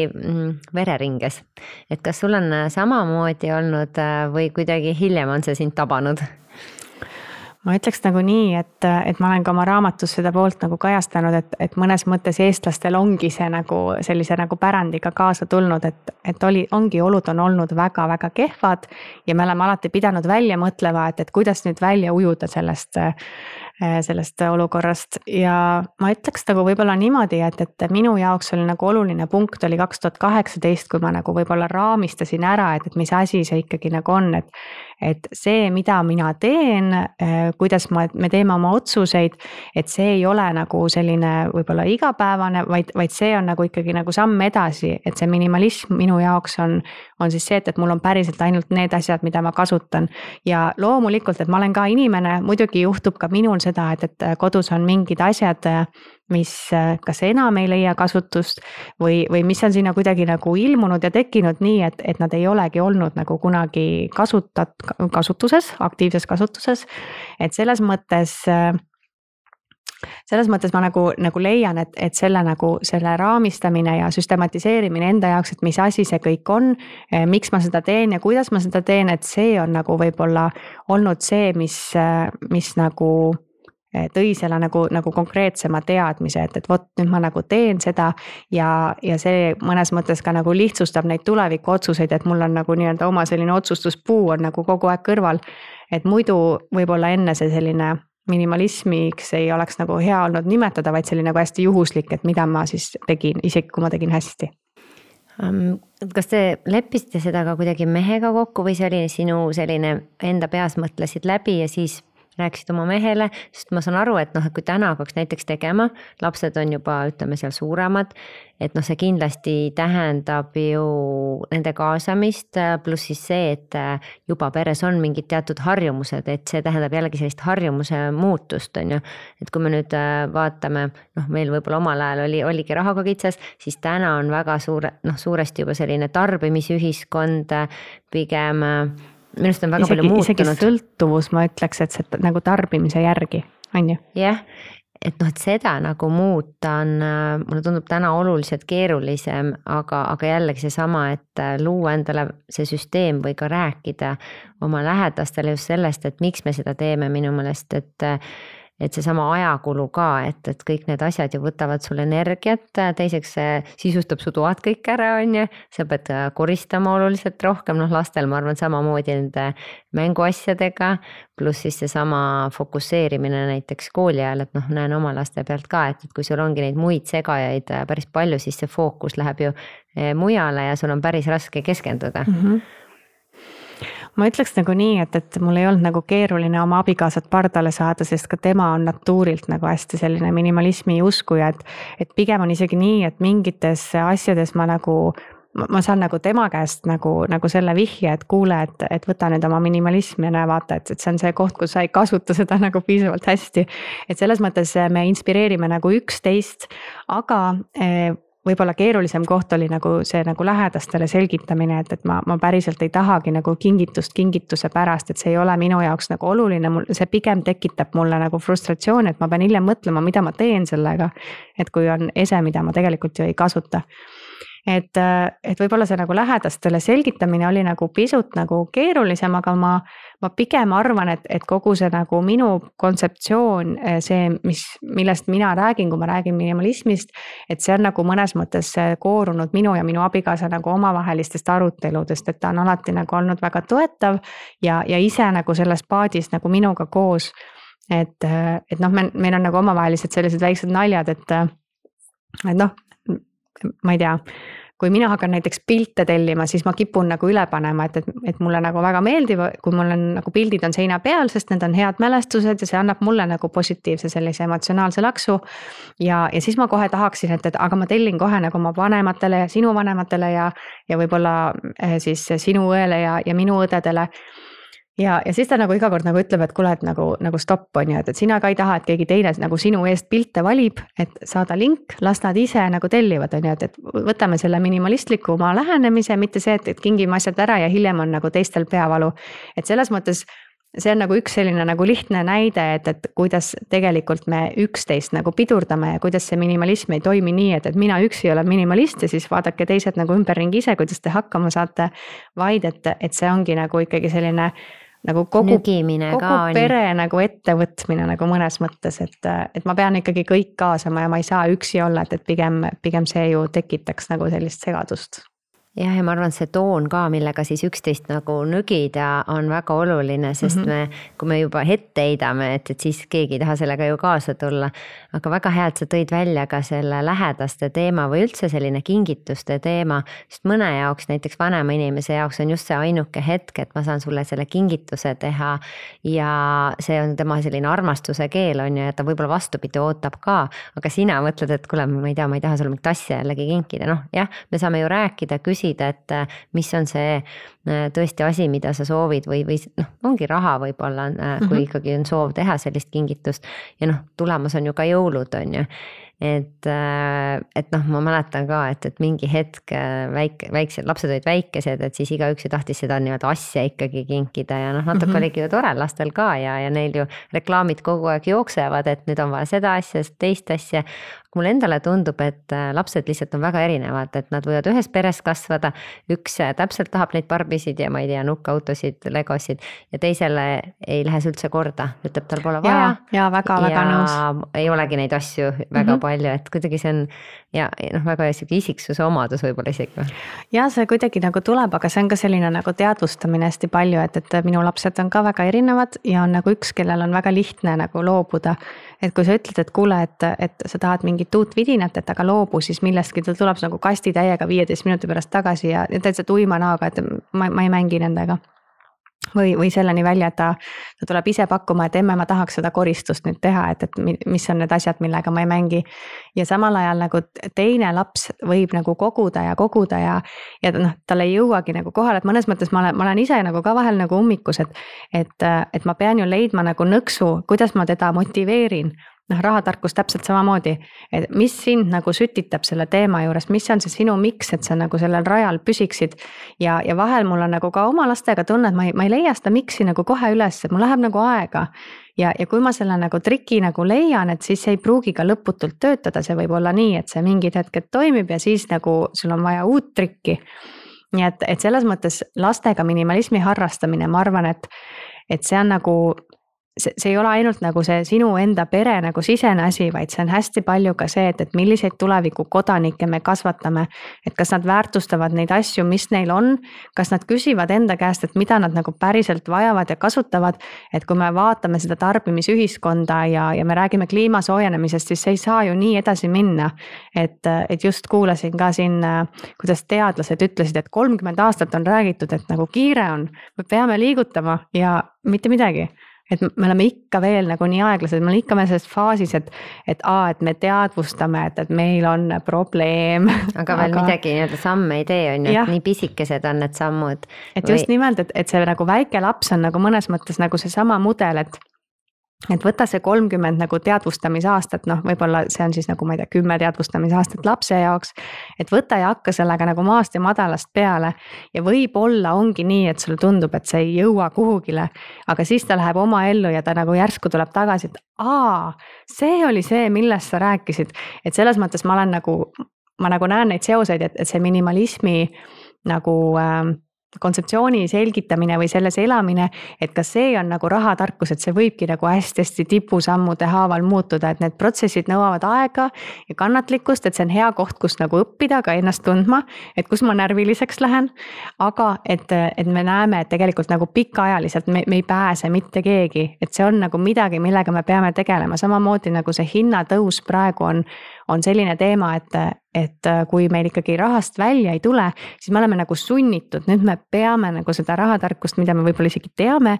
vereringes. Et kas sul on samamoodi olnud või kuidagi hiljem on see sind tabanud? Ma ütleks nagu nii, et, et ma olen ka oma raamatus seda poolt nagu kajastanud, et, et mõnes mõttes eestlastel ongi see nagu sellise nagu pärandiga kaasa tulnud, et, et oli, ongi olud on olnud väga-väga kehvad ja me oleme alati pidanud välja mõtlema, et, et kuidas nüüd välja ujuda sellest, sellest olukorrast ja ma ütleks nagu võib-olla niimoodi, et, et minu jaoks oli nagu oluline punkt oli kaks tuhat kaheksateist, kui ma nagu võib-olla raamistasin ära, et, et mis asi see ikkagi nagu on, et, et see, mida mina teen, kuidas ma, me teeme oma otsuseid, et see ei ole nagu selline võib-olla igapäevane, vaid, vaid see on nagu ikkagi nagu samm edasi, et see minimalism minu jaoks on, on siis see, et, et mul on päriselt ainult need asjad, mida ma kasutan ja loomulikult, et ma olen ka inimene, muidugi juhtub ka minul seda, et, et kodus on mingid asjad, mis kas enam ei leia kasutust või, või mis on sinna kuidagi nagu ilmunud ja tekkinud nii, et, et nad ei olegi olnud nagu kunagi kasutat, kasutuses, aktiivses kasutuses. Et selles mõttes, selles mõttes ma nagu, nagu leian, et, et selle, nagu, selle raamistamine ja süstematiseerimine enda jaoks, et mis asi see kõik on, miks ma seda teen ja kuidas ma seda teen, et see on nagu võib-olla olnud see, mis, mis nagu tõi selle nagu, nagu konkreetsema teadmise, et, et vot nüüd ma nagu teen seda ja, ja see mõnes mõttes ka nagu lihtsustab neid tuleviku otsuseid, et mul on nagu nii-öelda oma selline otsustuspuu on nagu kogu aeg kõrval, et muidu võib-olla enne see selline minimalismiks ei oleks nagu hea olnud nimetada, vaid selline nagu hästi juhuslik, et mida ma siis tegin, isegi kui ma tegin hästi. Kas te leppisite seda ka kuidagi mehega kokku või see oli sinu selline enda peas mõtlesid läbi ja siis rääkisid oma mehele, sest ma saan aru, et noh, et kui täna hakkaks näiteks tegema, lapsed on juba, ütleme seal suuremad, et noh, see kindlasti tähendab ju nende kaasamist, pluss siis see, et juba peres on mingid teatud harjumused, et see tähendab jällegi sellist harjumuse muutust, on ju. Et kui me nüüd vaatame, noh, meil võib-olla omal ajal oli, oligi rahaga kitsas, siis täna on väga suure, noh, suuresti juba selline tarbimisühiskond, pigem minust on väga isegi, palju muutunud. Isegi sõltuvus, ma ütleks, et see nagu tarbimise järgi, on ju? Jah, et noh, et seda nagu muuta on, mulle tundub täna oluliselt keerulisem, aga, aga jällegi see sama, et luua endale see süsteem või ka rääkida oma lähedastele just sellest, et miks me seda teeme minu meelest, et et see sama ajakulu ka, et, et kõik need asjad ju võtavad sul energiat, teiseks see sisustab su toad kõik ära, on ju, sa pead koristama oluliselt rohkem, noh lastel ma arvan samamoodi nende mänguasjadega, pluss siis see sama fokusseerimine näiteks kooli ajal, et noh, näen oma laste pealt ka, et, et kui sul ongi neid muid segajaid päris palju, siis see fookus läheb ju mujale ja sul on päris raske keskenduda. Mm-hmm. Ma ütleks nagu nii, et, et mul ei olnud nagu keeruline oma abikaasat pardale saada, sest ka tema on natuurilt nagu hästi selline minimalismi uskuja, et, et pigem on isegi nii, et mingites asjades ma nagu, ma saan nagu tema käest nagu, nagu selle vihje, et kuule, et, et võta nüüd oma minimalism ja näe vaata, et, et see on see koht, kus sa ei kasuta seda nagu piisavalt hästi. Et selles mõttes me inspireerime nagu üksteist, aga võib-olla keerulisem koht oli nagu see nagu lähedastele selgitamine, et, et ma, ma päriselt ei tahagi nagu kingitust kingituse pärast, et see ei ole minu jaoks nagu oluline, see pigem tekitab mulle nagu frustratsioon, et ma pean hiljem mõtlema, mida ma teen sellega, et kui on ese, mida ma tegelikult ju ei kasuta. Et, et võib-olla see nagu lähedastele selgitamine oli nagu pisut nagu keerulisem, aga ma, ma pigem arvan, et, et kogu see nagu minu kontseptsioon, see, mis, millest mina räägin, kui ma räägin minimalismist, et see on nagu mõnes mõttes koorunud minu ja minu abikaasa nagu omavahelistest aruteludest, et ta on alati nagu olnud väga toetav ja, ja ise nagu selles paadis nagu minuga koos, et, et noh, me, meil on nagu omavahelised sellised väiksed naljad, et, et noh, ma ei tea, kui mina hakkan näiteks pilte tellima, siis ma kipun nagu üle panema, et, et, et mulle nagu väga meeldib, kui mul on nagu pildid on seina peal, sest need on head mälestused ja see annab mulle nagu positiivse sellise emotsionaalse laksu. Ja, ja siis ma kohe tahaksin, et, et aga ma tellin kohe nagu oma vanematele ja sinu vanematele ja, ja võib-olla siis sinu õele ja, ja minu õdedele. Ja, ja siis ta nagu iga kord nagu ütleb, et kuule, et nagu, nagu stopp on ju, et, et sina ka ei taha, et keegi teine nagu sinu eest pilte valib, et saada link, las nad ise nagu tellivad, on ju, et, et võtame selle minimalistliku oma lähenemise, mitte see, et, et kingime asjad ära ja hiljem on nagu teistel peavalu. Et selles mõttes see on nagu üks selline nagu lihtne näide, et, et kuidas tegelikult me üksteist nagu pidurdame ja kuidas see minimalism ei toimi nii, et, et mina üksi olen minimalist ja siis vaadake teised nagu ümberringi ise, kuidas te hakkama saate, vaid et, et see ongi nagu ikkagi selline nagu kogu, kogu pere nagu ettevõtmine nagu mõnes mõttes, et, et ma pean ikkagi kõik kaasama ja ma ei saa üksi olla, et, et pigem, pigem see ju tekitaks nagu sellist segadust. Jah, ja ma arvan, see toon ka, millega siis üksteist nagu nügida on väga oluline, sest mm-hmm. me, kui me juba ette heidame, et, et siis keegi ei taha sellega ju kaasa tulla. Aga väga hea, et sa tõid välja ka selle lähedaste teema või üldse selline kingituste teema, sest mõne jaoks, näiteks vanema inimese jaoks on just see ainuke hetk, et ma saan sulle selle kingituse teha ja see on tema selline armastuse keel on ju, et ta võib-olla vastupidi ootab ka, aga sina mõtled, et kuule, ma ei tea, ma ei taha sulle mingit asja jällegi kinkida, noh jah, me saame ju rääkida, küsida, et mis on see tõesti asi, mida sa soovid või, või noh, ongi raha võib-olla, kui ikkagi on soov teha sellist kingitust ja noh, tulemas on ju ka jõulud, on ju. Et, et noh, ma mäletan ka, et, et mingi hetk väike, väiksed lapsed olid väikesed, et siis igaüks tahtis seda nii-öelda asja ikkagi kinkida ja noh, natuke mm-hmm. oligi ju tore lastel ka ja, ja neil ju reklaamid kogu aeg jooksevad, et nüüd on vaja seda asja, teist asja. Mulle endale tundub, et lapsed lihtsalt on väga erinevad, et nad võivad ühes peres kasvada, üks täpselt tahab neid barbisid ja ma ei tea, nukkautosid, legosid ja teisele ei lähe see üldse korda, ütleb, tal pole vaja. Ja, ja väga, väga ja nõus. Ei olegi neid asju väga mm-hmm. palju, et kuidagi see on ja noh, väga isiksuse omadus võib-olla isegi. Ja see kuidagi nagu tuleb, aga see on ka selline nagu teadvustamine hästi palju, et, et minu lapsed on ka väga erinevad ja on nagu üks, kellel on väga lihtne nagu loobuda. Et kui sa ütled, et kuule, et, et sa tahad mingit uut vidinat, et aga loobu, siis millestki ta tuleb nagu kasti täiega viieteist minuti pärast tagasi ja täitsa tuima naaga, et ma, ma ei mängi nendega. või, või selleni välja, et ta, ta tuleb ise pakkuma, et emme, ma tahaks seda koristust nüüd teha, et, et mis on need asjad, millega ma ei mängi. Ja samal ajal nagu teine laps võib nagu koguda ja koguda ja, ja noh, tal ei jõuagi nagu kohale, et mõnes mõttes ma olen, ma olen ise nagu ka vahel nagu ummikus, et, et, et ma pean ju leidma nagu nõksu, kuidas ma teda motiveerin. Noh, rahatarkus täpselt samamoodi, et mis sind nagu sütitab selle teema juures, mis on see sinu miks, et sa nagu sellel rajal püsiksid. Ja, ja vahel mul on nagu ka oma lastega tunne, et ma ei, ma ei leia seda miksi nagu kohe üles, et mul läheb nagu aega. Ja, ja kui ma selle nagu triki nagu leian, et siis ei pruugi ka lõputult töötada, see võib olla nii, et see mingid hetked toimib ja siis nagu sul on vaja uut trikki. Nii et, et selles mõttes lastega minimalismi harrastamine, ma arvan, et, et see on nagu See, see ei ole ainult nagu see sinu enda pere nagu sisene asi, vaid see on hästi palju ka see, et, et milliseid tuleviku kodanikke me kasvatame, et kas nad väärtustavad neid asju, mis neil on, kas nad küsivad enda käest, et mida nad nagu päriselt vajavad ja kasutavad, et kui me vaatame seda tarbimisühiskonda ja, ja me räägime kliima soojenemisest, siis see ei saa ju nii edasi minna, et, et just kuulasin ka siin, kuidas teadlased ütlesid, et kolmkümmend aastat on räägitud, et nagu kiire on, me peame liigutama ja mitte midagi. Et me oleme ikka veel nagu nii aeglased, me oleme ikka veel selles faasis, et, et, aa, et me teadvustame, et, et meil on probleem. Aga veel aga... midagi nii-öelda samme ei tee, on ju, et nii pisikesed on need sammud. Et just või... nimelt, et, et see nagu väike laps on nagu mõnes mõttes nagu see sama mudel, et et võta see kolmkümmend nagu teadvustamisaastat, noh, võib-olla see on siis nagu, ma ei tea, kümme teadvustamisaastat lapse jaoks, et võta ja hakka sellega nagu maast ja madalast peale ja võib-olla ongi nii, et sulle tundub, et see ei jõua kuhugile, aga siis ta läheb oma ellu ja ta nagu järsku tuleb tagasi, et aa, see oli see, millest sa rääkisid, et selles mõttes ma olen nagu, ma nagu näen neid seoseid, et, et see minimalismi nagu äh, kontseptsiooni selgitamine või selles elamine, et kas see on nagu rahatarkus, et see võibki nagu hästi-hästi tipusammude haaval muutuda, et need protsessid nõuavad aega ja kannatlikkust, et see on hea koht, kus nagu õppida ka ennast tundma, et kus ma närviliseks lähen, aga et, et me näeme, et tegelikult nagu pikaajaliselt me, me ei pääse mitte keegi, et see on nagu midagi, millega me peame tegelema, samamoodi nagu see hinnatõus praegu on, on selline teema, et et kui meil ikkagi rahast välja ei tule, siis me oleme nagu sunnitud, nüüd me peame nagu seda rahatarkust, mida me võib-olla isegi teame,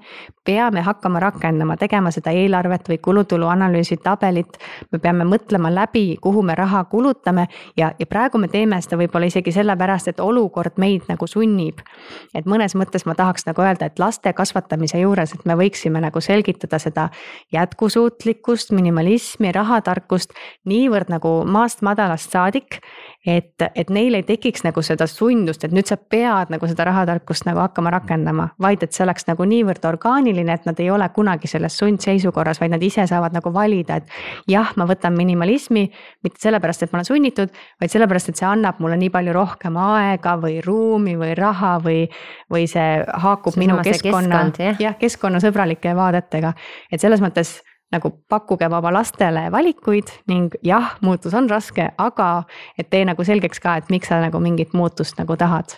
peame hakkama rakendama, tegema seda eelarvet või kulutulu analüüsi tabelit, me peame mõtlema läbi, kuhu me raha kulutame ja, ja praegu me teeme seda võib-olla isegi sellepärast, et olukord meid nagu sunnib. Et mõnes mõttes ma tahaks nagu öelda, et laste kasvatamise juures, et me võiksime nagu selgitada seda jätkusuutlikkust, minimalismi, rahatarkust niivõrd nagu maast madalast saadik, et, et neil ei tekiks nagu seda sundust, et nüüd sa pead nagu seda rahatarkust nagu hakkama rakendama, vaid et see oleks nagu niivõrd orgaaniline, et nad ei ole kunagi selles sundseisukorras, vaid nad ise saavad nagu valida, et jah, ma võtan minimalismi, mitte sellepärast, et ma olen sunnitud, vaid sellepärast, et see annab mulle nii palju rohkem aega või ruumi või raha või, või see haakub see minu keskkonna, keskkond, jah, keskkonnasõbralike vaadetega, et selles mõttes nagu pakkuge oma lastele valikuid ning jah, muutus on raske, aga et tee nagu selgeks ka, et miks sa nagu mingit muutust nagu tahad.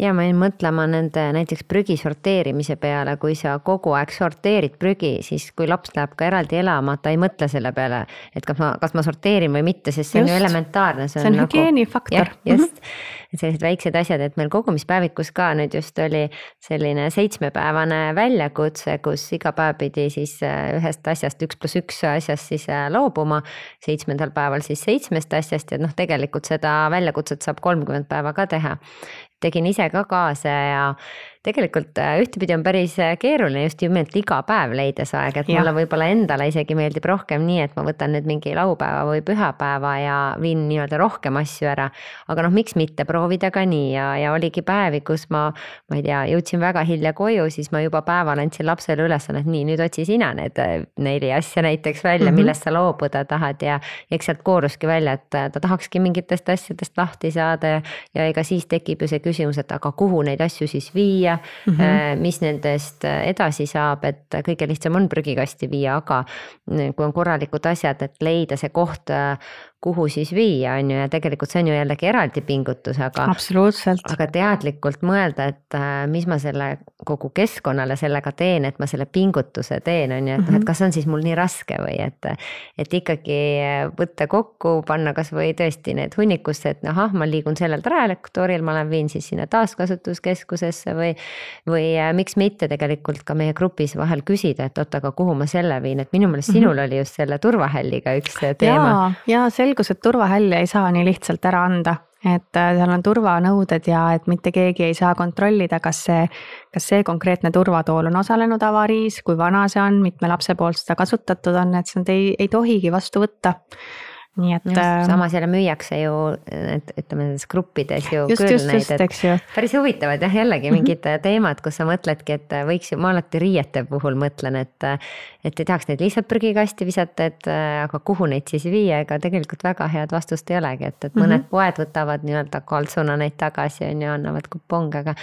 Ja ma jäin mõtlema nende näiteks prügi sorteerimise peale, kui sa kogu aeg sorteerid prügi, siis kui laps läheb ka eraldi elama, ta ei mõtle selle peale, et kas ma, kas ma sorteerin või mitte, sest see just. On ju elementaarne. See on, see on nagu, hügieenifaktor. Just, et sellised väiksed asjad, et meil kogumispäevikus ka nüüd just oli selline seitsmepäevane väljakutse, kus iga päev pidi siis ühest asjast, üks pluss üks asjast siis loobuma, seitsmendal päeval siis seitsmest asjast ja noh, tegelikult seda väljakutset saab kolmkümmend päeva ka teha. Tegin ise ka kaasa ja tegelikult ühtepidi on päris keeruline just nimelt iga päev leides aeg, et mulle võib-olla endale isegi meeldib rohkem nii, et ma võtan nüüd mingi laupäeva või pühapäeva ja viin nii-öelda rohkem asju ära, aga noh, miks mitte proovida ka nii ja, ja oligi päevi, kus ma, ma ei tea, jõudsin väga hilja koju, siis ma juba päeval andsin lapsele ülesannet, nii nüüd otsi sina need neli asja näiteks välja, mm-hmm. millest sa loobuda tahad ja eks sealt kooruski välja, et ta tahakski mingitest asjadest lahti saada ja, ja ega siis tekib ju see küsimus, et aga kuhu neid asju siis viia, Mm-hmm. mis nendest edasi saab, et kõige lihtsam on prügikasti viia, aga kui on korralikud asjad, et leida see koht, kuhu siis viia, on ju, ja tegelikult see on ju jällegi eraldi pingutus, aga absoluutselt. Aga teadlikult mõelda, et mis ma selle kogu keskkonnale sellega teen, et ma selle pingutuse teen, on ju, et, mm -hmm. et kas on siis mul nii raske või et, et ikkagi võtta kokku, panna kas või tõesti need hunnikusse, et ahah, ma liigun sellel trajektooril, ma olen viin siis sinna taaskasutuskeskusesse või, või miks mitte tegelikult ka meie grupis vahel küsida, et oot, aga kuhu ma selle viin, et minu meelest sinul mm -hmm. oli just selle turvahälliga üks teema. Ja, ja selgus, et turvahälli ei saa nii lihtsalt ära anda, et seal on turvanõuded ja et mitte keegi ei saa kontrollida, kas see, kas see konkreetne turvatool on osalenud avariis, kui vana see on, mitme lapse poolt seda kasutatud on, et seda ei, ei tohigi vastu võtta. Nii et just, samas jälle müüakse ju, et ütleme nendes gruppides ju just, küll just, neid, just, et päris huvitavad jah, jällegi mingid mm -hmm. teemad, kus sa mõtledki, et võiks ju, ma alati riiete puhul mõtlen, et et ei tahaks neid lihtsalt prügikasti visata, et aga kuhu neid siis viia, ega tegelikult väga head vastust ei olegi, et, et mõned mm -hmm. poed võtavad nii-öelda kaltsuna neid tagasi on ju, annavad kuponge, aga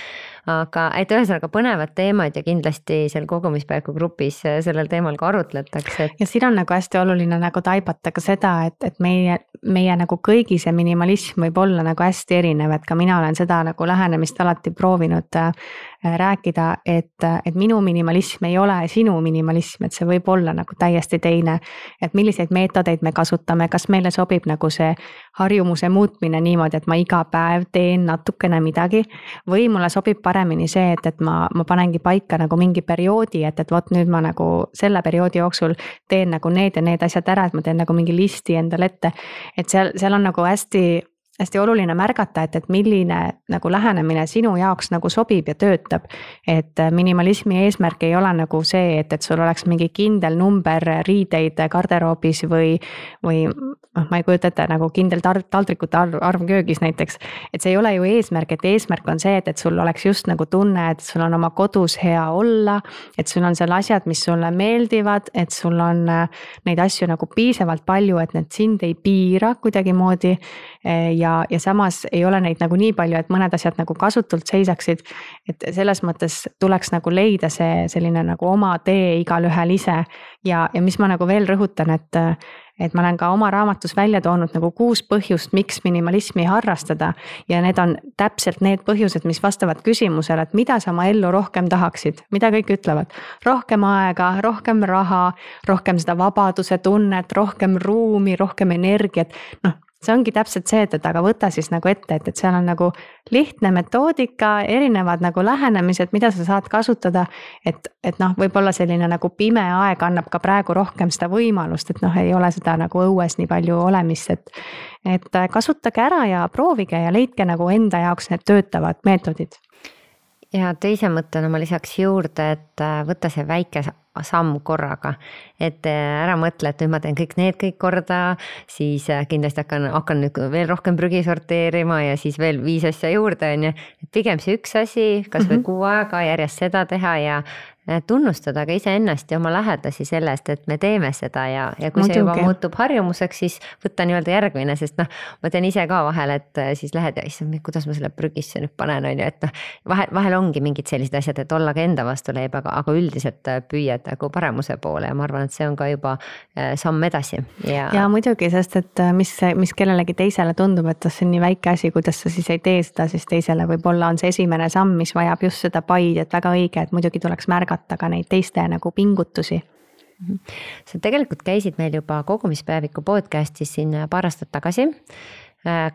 aga et ühesõnaga põnevad teemad ja kindlasti seal kogumispäeviku grupis sellel teemal ka arutletakse. Et... ja siin on nagu hästi oluline nagu taibata ka seda, et, et meie, meie nagu kõigi see minimalism võib olla nagu hästi erinev, et ka mina olen seda nagu lähenemist alati proovinud äh, rääkida, et, et minu minimalism ei ole sinu minimalism, et see võib olla nagu täiesti teine, et milliseid meetodeid me kasutame, kas meile sobib nagu see harjumuse muutmine niimoodi, et ma iga päev teen natukene midagi või mulle sobib paremini see, et, et ma, ma panengi paika nagu mingi perioodi, et, et vot nüüd ma nagu selle perioodi jooksul teen nagu need ja need asjad ära, et ma teen nagu mingi listi endale ette, et seal, seal on nagu hästi hästi oluline märgata, et, et milline nagu lähenemine sinu jaoks nagu sobib ja töötab. Et minimalismi eesmärk ei ole nagu see, et, et sul oleks mingi kindel number riideid garderoobis või, või ma ei kujuta ette nagu kindel taldrikute arv, arv köögis näiteks. Et see ei ole ju eesmärk, et eesmärk on see, et, et sul oleks just nagu tunne, et sul on oma kodus hea olla, et sul on seal asjad, mis sulle meeldivad, et sul on neid asju nagu piisavalt palju, et need sind ei piira kuidagi moodi ja Ja, ja samas ei ole neid nagu nii palju, et mõned asjad nagu kasutult seisaksid, et selles mõttes tuleks nagu leida see selline nagu oma tee igalühel ise ja, ja mis ma nagu veel rõhutan, et et ma olen ka oma raamatus välja toonud nagu kuus põhjust, miks minimalismi harrastada ja need on täpselt need põhjused, mis vastavad küsimusele, et mida sa oma ellu rohkem tahaksid, mida kõik ütlevad, rohkem aega, rohkem raha, rohkem seda vabaduse tunnet, rohkem ruumi, rohkem energiat, noh, see ongi täpselt see, et, et aga võta siis nagu ette, et, et seal on nagu lihtne metoodika, erinevad nagu lähenemised, mida sa saad kasutada, et, et noh, võib-olla selline nagu pime aeg annab ka praegu rohkem seda võimalust, et noh, ei ole seda nagu õues nii palju olemist, et, et kasutage ära ja proovige ja leidke nagu enda jaoks need töötavad meetodid. Ja teise mõttena ma lisaks juurde, et võtta see väike samm korraga, et ära mõtle, et nüüd ma teen kõik need kõik korda, siis kindlasti hakkan, hakkan nüüd veel rohkem prügi sorteerima ja siis veel viis asja juurde, on ju, et pigem see üks asi, kas või mm -hmm. kuu aega järjest seda teha ja tunnustada ka iseennast ja oma lähedasi sellest, et me teeme seda ja, ja kui Muidugi. see juba muutub harjumuseks, siis võtta nii-öelda järgmine, sest noh, ma teen ise ka vahel, et siis lähed ja issand, kuidas ma selle prügisse nüüd panen, on ju, et noh, vahel, vahel ongi mingid sellised asjad, et olla ka enda vastu leib, aga, aga üldiselt püüad nagu paremuse poole ja ma arvan, et see on ka juba samm edasi. Ja, ja muidugi, sest et mis, mis kellelegi teisele tundub, et see on nii väike asi, kuidas sa siis ei tee seda, siis teisele võib-olla on see esimene samm, mis vajab just seda paid, et väga õige, et muidugi tuleks märgata ka neid teiste nagu pingutusi. Sa tegelikult käisid meil juba kogumispäeviku podcastis siin paar aastat tagasi,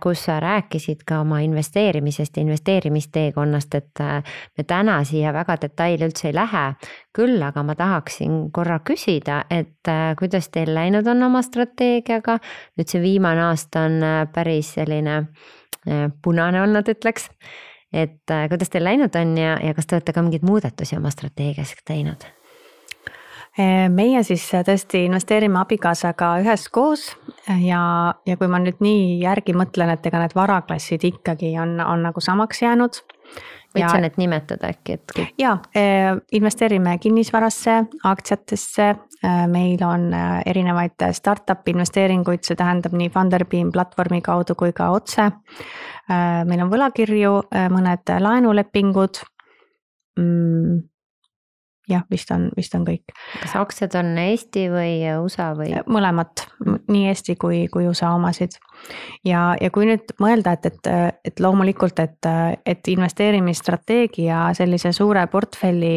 kus sa rääkisid ka oma investeerimisest ja investeerimisteekonnast, et me täna siia väga detaili üldse ei lähe. Küll aga ma tahaksin korra küsida, et kuidas teil läinud on oma strateegiaga. Nüüd see viimane aasta on päris selline punane olnud, ütleks. Et kuidas teil läinud on ja, ja kas te olete ka mingeid muudatusi oma strateegias teinud? Meie siis tõesti investeerime abikaasaga üheskoos ja, ja kui ma nüüd nii järgi mõtlen, et ega need varaklassid ikkagi on, on nagu samaks jäänud. Võid sa need nimetada äkki? Et kõik... Ja, investeerime kinnisvarasse, aktsiatesse, meil on erinevaid startup investeeringuid, see tähendab nii Funderbeam platvormi kaudu kui ka otse. Meil on võlakirju, mõned laenulepingud. jah, vist on, vist on kõik. Kas aktsiad on Eesti või U S A või? Mõlemat, nii Eesti kui, kui U S A omasid. Ja, ja kui nüüd mõelda, et, et, et loomulikult, et, et investeerimisstrateegia sellise suure portfelli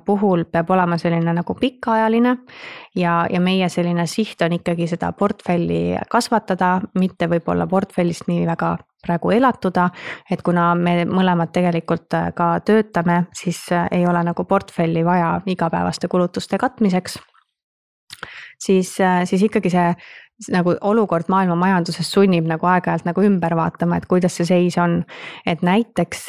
puhul peab olema selline nagu pikaajaline ja, ja meie selline siht on ikkagi seda portfelli kasvatada, mitte võib-olla portfellist nii väga praegu elatuda, et kuna me mõlemad tegelikult ka töötame, siis ei ole nagu portfelli vaja igapäevaste kulutuste katmiseks, siis, siis ikkagi see nagu olukord maailma majanduses sunnib nagu aeg-ajalt nagu ümber vaatama, et kuidas see seis on. Et näiteks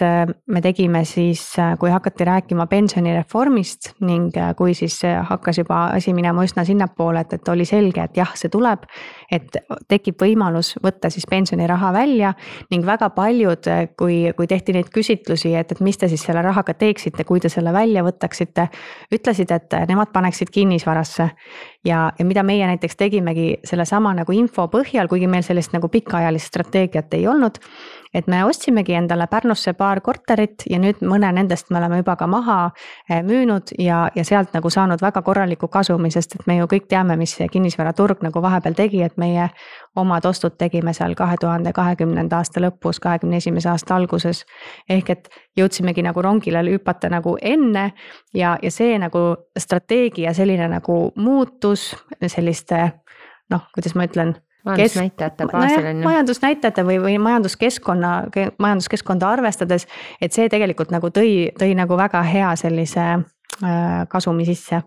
me tegime siis, kui hakati rääkima pensionireformist ning kui siis hakkas juba asi minema üsna sinnapoole, et, et oli selge, et jah, see tuleb, et tekib võimalus võtta siis pensioniraha välja ning väga paljud, kui, kui tehti neid küsitlusi, et, et mis te siis selle rahaga teeksite, kui te selle välja võtaksite, ütlesid, et nemad paneksid kinnisvarasse ja, ja mida meie näiteks tegimegi selle sama nagu info põhjal, kuigi meil sellist nagu pikaajalist strateegiat ei olnud, et me ostsimegi endale Pärnusse paar korterit ja nüüd mõne nendest me oleme juba ka maha müünud ja, ja sealt nagu saanud väga korraliku kasumi, sest et me ju kõik teame, mis kinnisvaraturg nagu vahepeal tegi, et meie omad ostud tegime seal kahe tuhande kahekümnenda aasta lõpus, kahekümne esimese aasta alguses. Ehk et jõudsimegi nagu rongile hüpata nagu enne ja, ja see nagu strateegia selline nagu muutus selliste noh, kuidas ma ütlen, majandusnäitajate baasil on ju. Majandusnäitajate või, või majanduskeskkonna, majanduskeskkonda arvestades, et see tegelikult nagu tõi, tõi nagu väga hea sellise kasumi sisse.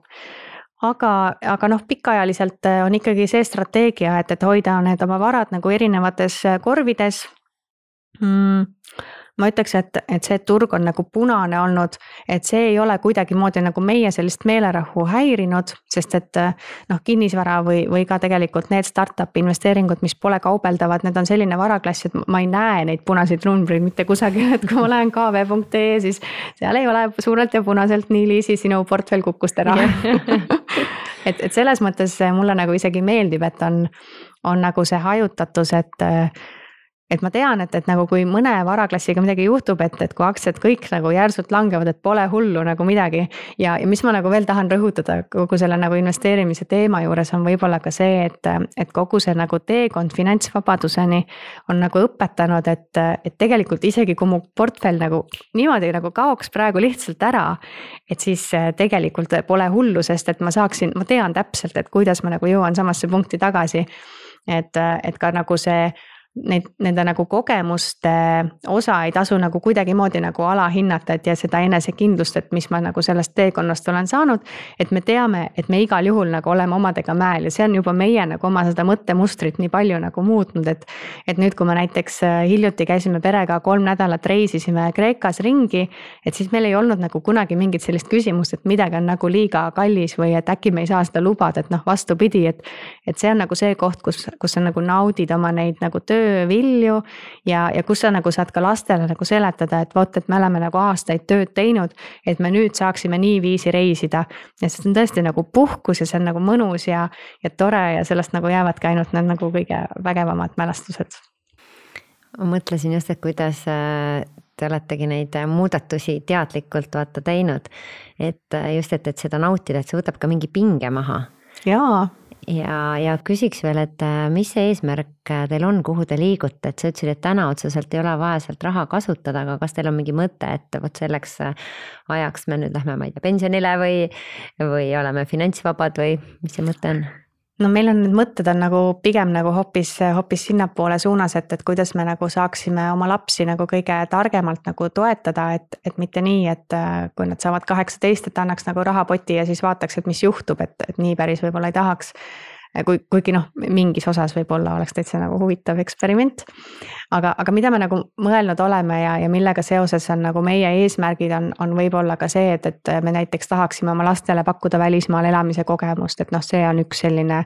Aga, aga noh, pikaajaliselt on ikkagi see strateegia, et, et hoida need oma varad nagu erinevates korvides. Mm. Ma ütleks, et, et see turg on nagu punane olnud, et see ei ole kuidagi moodi nagu meie sellist meelerahu häirinud, sest et noh, kinnisvara või, või ka tegelikult need startup investeeringud, mis pole kaubeldavad, need on selline varaklass, et ma ei näe neid punaseid numbreid mitte kusagil, et kui ma lähen k v punkt ee, siis seal ei ole suurelt ja punaselt nii Liisi, sinu portfell kukkus ära. et, et selles mõttes mulle nagu isegi meeldib, et on, on nagu see hajutatus, et et ma tean, et, et nagu kui mõne varaklassiga midagi juhtub, et, et kui aktsiad kõik nagu järsult langevad, et pole hullu nagu midagi. Ja, ja mis ma nagu veel tahan rõhutada kogu selle nagu investeerimise teema juures on võib-olla ka see, et, et kogu see nagu teekond finantsvabaduseni on nagu õpetanud, et, et tegelikult isegi kui mu portfell nagu niimoodi nagu kaoks praegu lihtsalt ära, et siis tegelikult pole hullu, sest et ma saaksin, ma tean täpselt, et kuidas ma nagu jõuan samasse punkti tagasi. Et, et ka nagu see Neid, nende nagu kogemuste osa ei tasu nagu kuidagi moodi nagu alahinnata, et ja seda enesekindlust, et mis ma nagu sellest teekonnast olen saanud, et me teame, et me igal juhul nagu oleme omadega mäel ja see on juba meie nagu oma seda mõttemustrit nii palju nagu muutnud, et, et nüüd, kui me näiteks hiljuti käisime perega kolm nädalat reisisime Kreekas ringi, et siis meil ei olnud nagu kunagi mingit sellist küsimust, et midagi on nagu liiga kallis või et äkki me ei saa seda lubada, et noh, vastupidi, et, et see on nagu see koht, kus, kus sa nagu naudid oma neid nagu töö vilju ja, ja kus sa nagu saad ka lastele nagu seletada, et vot, et me oleme nagu aastaid tööd teinud, et me nüüd saaksime nii viisi reisida. Ja see on tõesti nagu puhkus ja see on nagu mõnus ja, ja tore ja sellest nagu jäävadki ainult need nagu kõige vägevamad mälestused. Ma mõtlesin just, et kuidas te oletegi neid muudatusi teadlikult vaata teinud, et just, et, et seda nautida, et see võtab ka mingi pinge maha. Jaa. Ja, ja küsiks veel, et mis see eesmärk teil on, kuhu te liigute, et sa ütlesid, et täna otseselt ei ole vaja sealt raha kasutada, aga kas teil on mingi mõte, et võt selleks ajaks me nüüd lähme, ma ei tea, pensionile või, või oleme finantsvabad või mis see mõte on? No meil on need mõtted on nagu pigem nagu hoopis, hoopis sinnapoole suunas, et, et kuidas me nagu saaksime oma lapsi nagu kõige targemalt nagu toetada, et, et mitte nii, et kui nad saavad kaheksateist, et annaks nagu rahapoti ja siis vaataks, et mis juhtub, et, et nii päris võib-olla ei tahaks. Kui, kuigi noh, mingis osas võib-olla oleks täitsa nagu huvitav eksperiment. Aga, aga mida me nagu mõelnud oleme ja, ja millega seoses on nagu meie eesmärgid on, on võib-olla ka see, et, et me näiteks tahaksime oma lastele pakkuda välismaal elamise kogemust, et noh, see on üks selline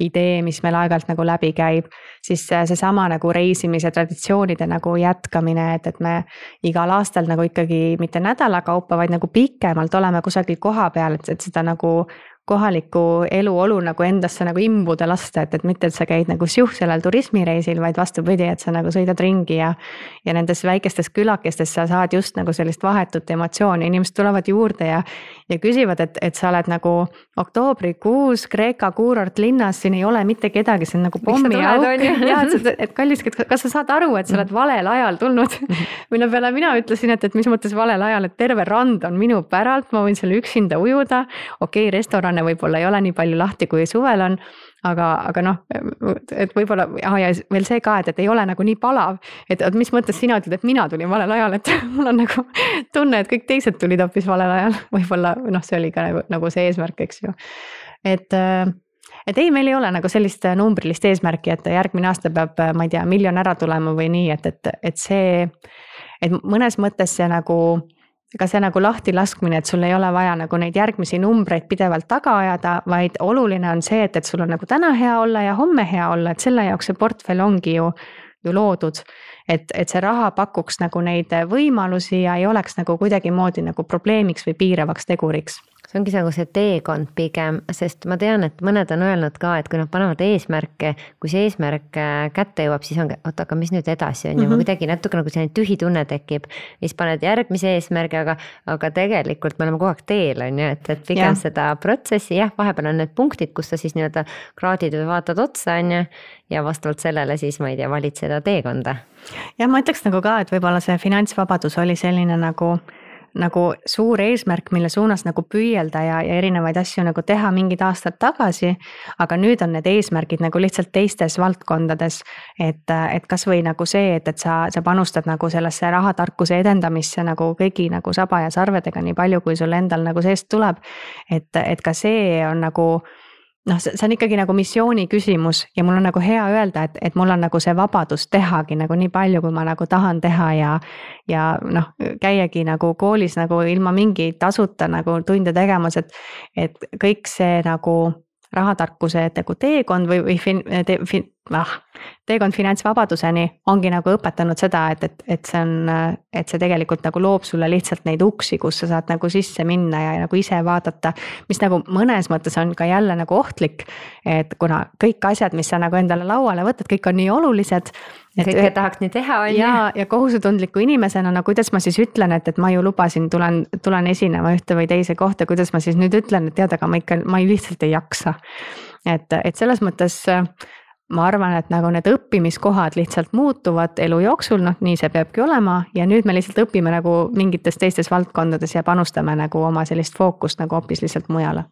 idee, mis meil aeg-ajalt nagu läbi käib. Siis seesama nagu reisimise traditsioonide nagu jätkamine, et, et me igal aastal nagu ikkagi mitte nädala kaupa, vaid nagu pikemalt oleme kusagil koha peal, et, et seda nagu kohalikku eluolu nagu endasse nagu imbuda lasta, et, et mitte, et sa käid nagu siuh sellel turismireisil, vaid vastupidi, et sa nagu sõidad ringi ja ja nendes väikestes külakestes sa saad just nagu sellist vahetut emotsiooni, inimesed tulevad juurde ja ja küsivad, et, et sa oled nagu oktoobrikuus Kreeka kuurortlinnas, siin ei ole mitte kedagi, see on nagu pommiauk. Ja, et, et kallis, kas sa saad aru, et sa oled valel ajal tulnud? Mille peale mina ütlesin, et, et mis mõttes valel ajal, et terve rand on minu päralt, ma võin seal üksinda ujuda. Okei, okay, restorane võib-olla ei ole nii palju lahti, kui suvel on, aga, aga noh, et võib-olla, ja veel see ka, et, et ei ole nagu nii palav, et, et mis mõttes sina ütled, et mina tulin valel ajal, et mul on nagu tunne, et kõik teised tulid hoopis valel ajal, võib-olla noh, see oli ka nagu, nagu see eesmärk, eks ju. Et, et ei, meil ei ole nagu sellist numbrilist eesmärki, et järgmine aasta peab, ma ei tea, miljon ära tulema või nii, et, et, et see, et mõnes mõttes see nagu ega see nagu lahti laskmine, et sul ei ole vaja nagu neid järgmisi numbreid pidevalt taga ajada, vaid oluline on see, et, et sul on nagu täna hea olla ja homme hea olla, et selle jaoks see portfell ongi ju, ju loodud. Et, et see raha pakuks nagu neid võimalusi ja ei oleks nagu kuidagimoodi nagu probleemiks või piiravaks teguriks. See ongi nagu see teekond pigem, sest ma tean, et mõned on öelnud ka, et kui nad panevad eesmärke, kui see eesmärk kätte jõuab, siis on, oota, aga mis nüüd edasi on mm -hmm. ja ma kuidagi natuke nagu selline tühi tunne tekib, siis paned järgmise eesmärgi, aga, aga tegelikult me oleme kogu aeg teel, on ju, et, et pigem ja. Seda protsessi, jah, vahepeal on need punktid, kus sa siis nii-öelda kraadid või vaatad otsa, on ju, ja vastavalt sellele siis, ma ei tea, valid seda teekonda. Ja ma ütleks nagu ka, et võib-olla see finantsvabadus oli selline nagu nagu suur eesmärk, mille suunas nagu püüelda ja, ja erinevaid asju nagu teha mingid aastad tagasi, aga nüüd on need eesmärgid nagu lihtsalt teistes valdkondades, et, et kas või nagu see, et, et sa, sa panustad nagu sellesse rahatarkuse edendamisse nagu kõigi nagu saba ja sarvedega nii palju, kui sul endal nagu seest tuleb, et, et ka see on nagu noh, see on ikkagi nagu missiooni küsimus ja mul on nagu hea öelda, et, et mul on nagu see vabadus tehagi nagu nii palju, kui ma nagu tahan teha ja, ja noh, käiagi nagu koolis nagu ilma mingi tasuta nagu tunde tegemas, et, et kõik see nagu rahatarkuse nagu teekond või, või fin, te, fin, ah, teekond finantsvabaduseni ongi nagu õpetanud seda, et, et, et see on, et see tegelikult nagu loob sulle lihtsalt neid uksi, kus sa saad nagu sisse minna ja nagu ise vaadata, mis nagu mõnes mõttes on ka jälle nagu ohtlik, et kuna kõik asjad, mis sa nagu endale lauale võtad, kõik on nii olulised. Kõike tahaks nii teha, on ja, ja kohusetundliku inimesena, no kuidas ma siis ütlen, et, et ma ju lubasin, tulen, tulen esinema ühte või teise kohta, kuidas ma siis nüüd ütlen, et tead, aga ma ikka, ma lihtsalt ei jaksa. Et, et selles mõttes ma arvan, et nagu need õppimiskohad lihtsalt muutuvad elu jooksul, noh nii see peabki olema ja nüüd me lihtsalt õpime nagu mingites teistes valdkondades ja panustame nagu oma sellist fookust nagu hoopis lihtsalt mujale.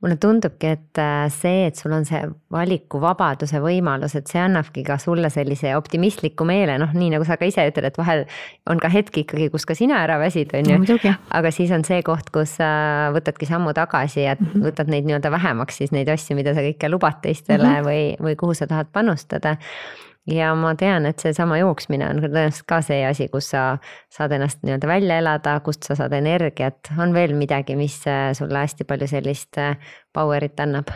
Mulle tundubki, et see, et sul on see valikuvabaduse võimalus, et see annabki ka sulle sellise optimistliku meele, noh nii nagu sa ka ise ütled, et vahel on ka hetki ikkagi, kus ka sina ära väsid, on ju, no, aga siis on see koht, kus sa võtadki sammu tagasi ja mm -hmm. võtad neid nii-öelda vähemaks siis neid asju, mida sa kõike lubad teistele mm -hmm. või, või kuhu sa tahad panustada. Ja ma tean, et see sama jooksmine on tõenäoliselt ka see asi, kus sa saad ennast nii-öelda välja elada, kust sa saad energiat. On veel midagi, mis sulle hästi palju sellist powerit annab?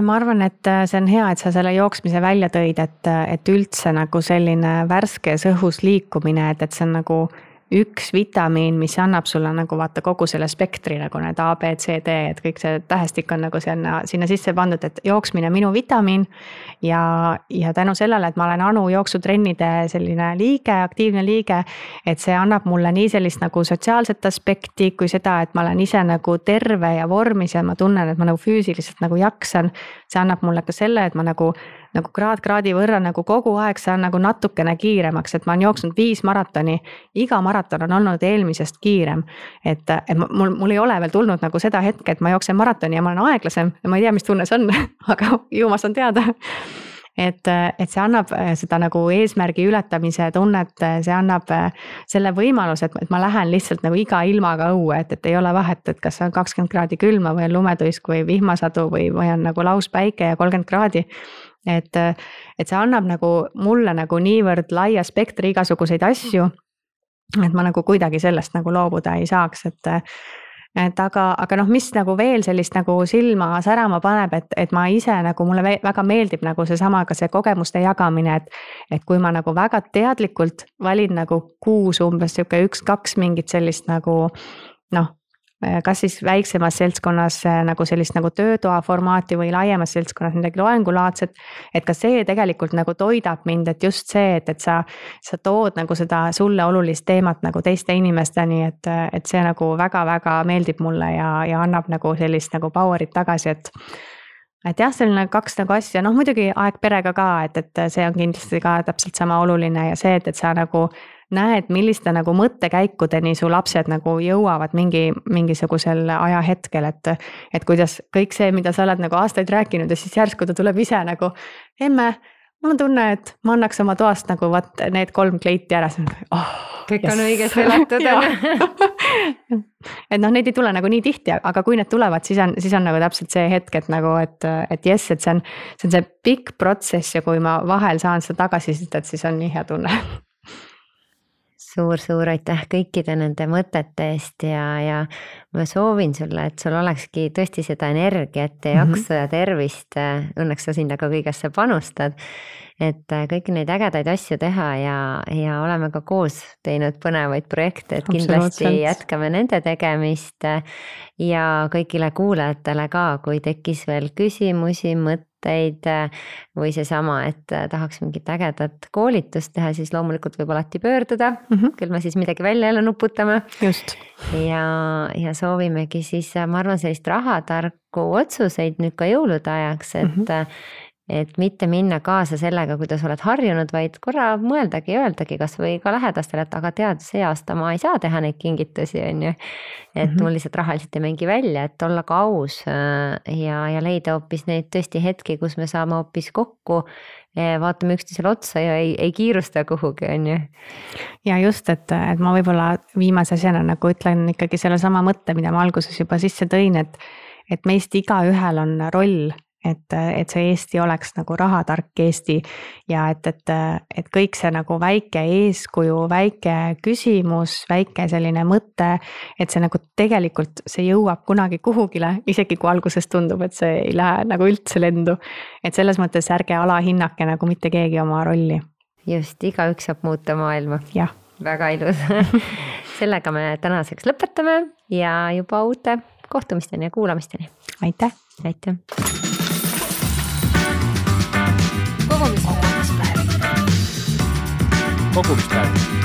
Ma arvan, et see on hea, et sa selle jooksmise välja tõid, et, et üldse nagu selline värskes õhus liikumine, et, et see on nagu üks vitamiin, mis annab sulle nagu vaata kogu selle spektri nagu need A, B, C, D, et kõik see tähestik on nagu sinna, sinna sisse pandud, et jooksmine minu vitamiin ja, ja tänu sellele, et ma olen Anu jooksutrennide selline liige, aktiivne liige, et see annab mulle nii sellist nagu sotsiaalset aspekti, kui seda, et ma olen ise nagu terve ja vormis ja ma tunnen, et ma nagu füüsiliselt nagu jaksan, see annab mulle ka selle, et ma nagu nagu kraad kraadi võrra nagu kogu aeg saan nagu natukene kiiremaks, et ma olen jooksnud viis maratoni, iga maraton on olnud eelmisest kiirem, et, et mul, mul ei ole veel tulnud nagu seda hetke, et ma jooksen maratoni ja ma olen aeglasem ja ma ei tea, mis tunne see on, aga ju ma saan teada. Et, et see annab seda nagu eesmärgi ületamise tunnet, see annab selle võimaluse, et ma lähen lihtsalt nagu iga ilmaga õue, et, et ei ole vahet, et kas on kakskümmend kraadi külma või on lumetuisk või vihmasadu või, või on nagu lauspäike ja kolmkümmend kraadi. Et, et see annab nagu mulle nagu niivõrd laia spektri igasuguseid asju, et ma nagu kuidagi sellest nagu loobuda ei saaks, et et aga, aga noh, mis nagu veel sellist nagu silma särama paneb, et, et ma ise nagu mulle väga meeldib nagu see sama ka see kogemuste jagamine, et, et kui ma nagu väga teadlikult valin nagu kuus umbes siuke üks-kaks mingit sellist nagu noh, kas siis väiksemas seltskonnas nagu sellist nagu töötoa formaati või laiemas seltskonnas midagi loengulaadset, et ka see tegelikult nagu toidab mind, et just see, et, et sa, sa tood nagu seda sulle olulist teemat nagu teiste inimesteni, et, et see nagu väga-väga meeldib mulle ja, ja annab nagu sellist nagu power'it tagasi, et et jah, selline kaks nagu asja, noh muidugi aeg perega ka, et, et see on kindlasti ka täpselt sama oluline ja see, et, et sa nagu näed, milliste nagu mõttekäikudeni su lapsed nagu jõuavad mingi, mingisugusel ajahetkel, et, et kuidas kõik see, mida sa oled nagu aastaid rääkinud ja siis järsku ta tuleb ise nagu, emme, mul on tunne, et ma annaks oma toast nagu vaat need kolm kleiti ära, oh, kõik yes. on õigesti elatud. et noh, neid ei tule nagu nii tihti, aga kui need tulevad, siis on, siis on nagu täpselt see hetk, et nagu, et, et jess, et see on, see on see pikk protsess ja kui ma vahel saan seda tagasisidet, siis on nii hea tunne. Suur-suur aitäh kõikide nende mõtete eest ja, ja ma soovin sulle, et sul olekski tõesti seda energiat ja jaksu mm-hmm. ja tervist. Õnneks sa sinna ka kõigesse panustad, et kõiki neid ägedaid asju teha ja, ja oleme ka koos teinud põnevaid projekte, et kindlasti jätkame nende tegemist ja kõigile kuulajatele ka, kui tekkis veel küsimusi, mõtteid või seesama, et tahaks mingit ägedat koolitust teha, siis loomulikult võib alati pöörduda, mm-hmm. küll me siis midagi välja jälle nuputame. Just. Ja, ja soovimegi siis, ma arvan, sellist rahatarku otsuseid nüüd ka jõulude ajaks, et mm-hmm. et mitte minna kaasa sellega, kuidas oled harjunud, vaid korra mõeldagi ja öeldagi kas või ka lähedastele, et aga tead, see aasta ma ei saa teha neid kingitusi, on ju. Et mm-hmm. mul lihtsalt rahaliselt ei mängi välja, et olla ka aus ja, ja leida hoopis neid tõesti hetki, kus me saame hoopis kokku, vaatame üksteisele otsa ja ei, ei kiirusta kuhugi, on ju. Ja just, et, et ma võib-olla viimase asjana nagu ütlen ikkagi selle sama mõtte, mida ma alguses juba sisse tõin, et, et meist iga ühel on roll, et, et see Eesti oleks nagu rahatark Eesti ja et, et, et kõik see nagu väike eeskuju, väike küsimus, väike selline mõte, et see nagu tegelikult see jõuab kunagi kuhugile, isegi kui alguses tundub, et see ei lähe nagu üldse lendu. Et selles mõttes ärge alahinnake nagu mitte keegi oma rolli. Just, igaüks saab muuta maailma. Jah. Väga ilus. Sellega me tänaseks lõpetame ja juba uute kohtumisteni ja kuulamisteni. Aitäh. Aitäh. Kogumispäevik. Kogumispäevik.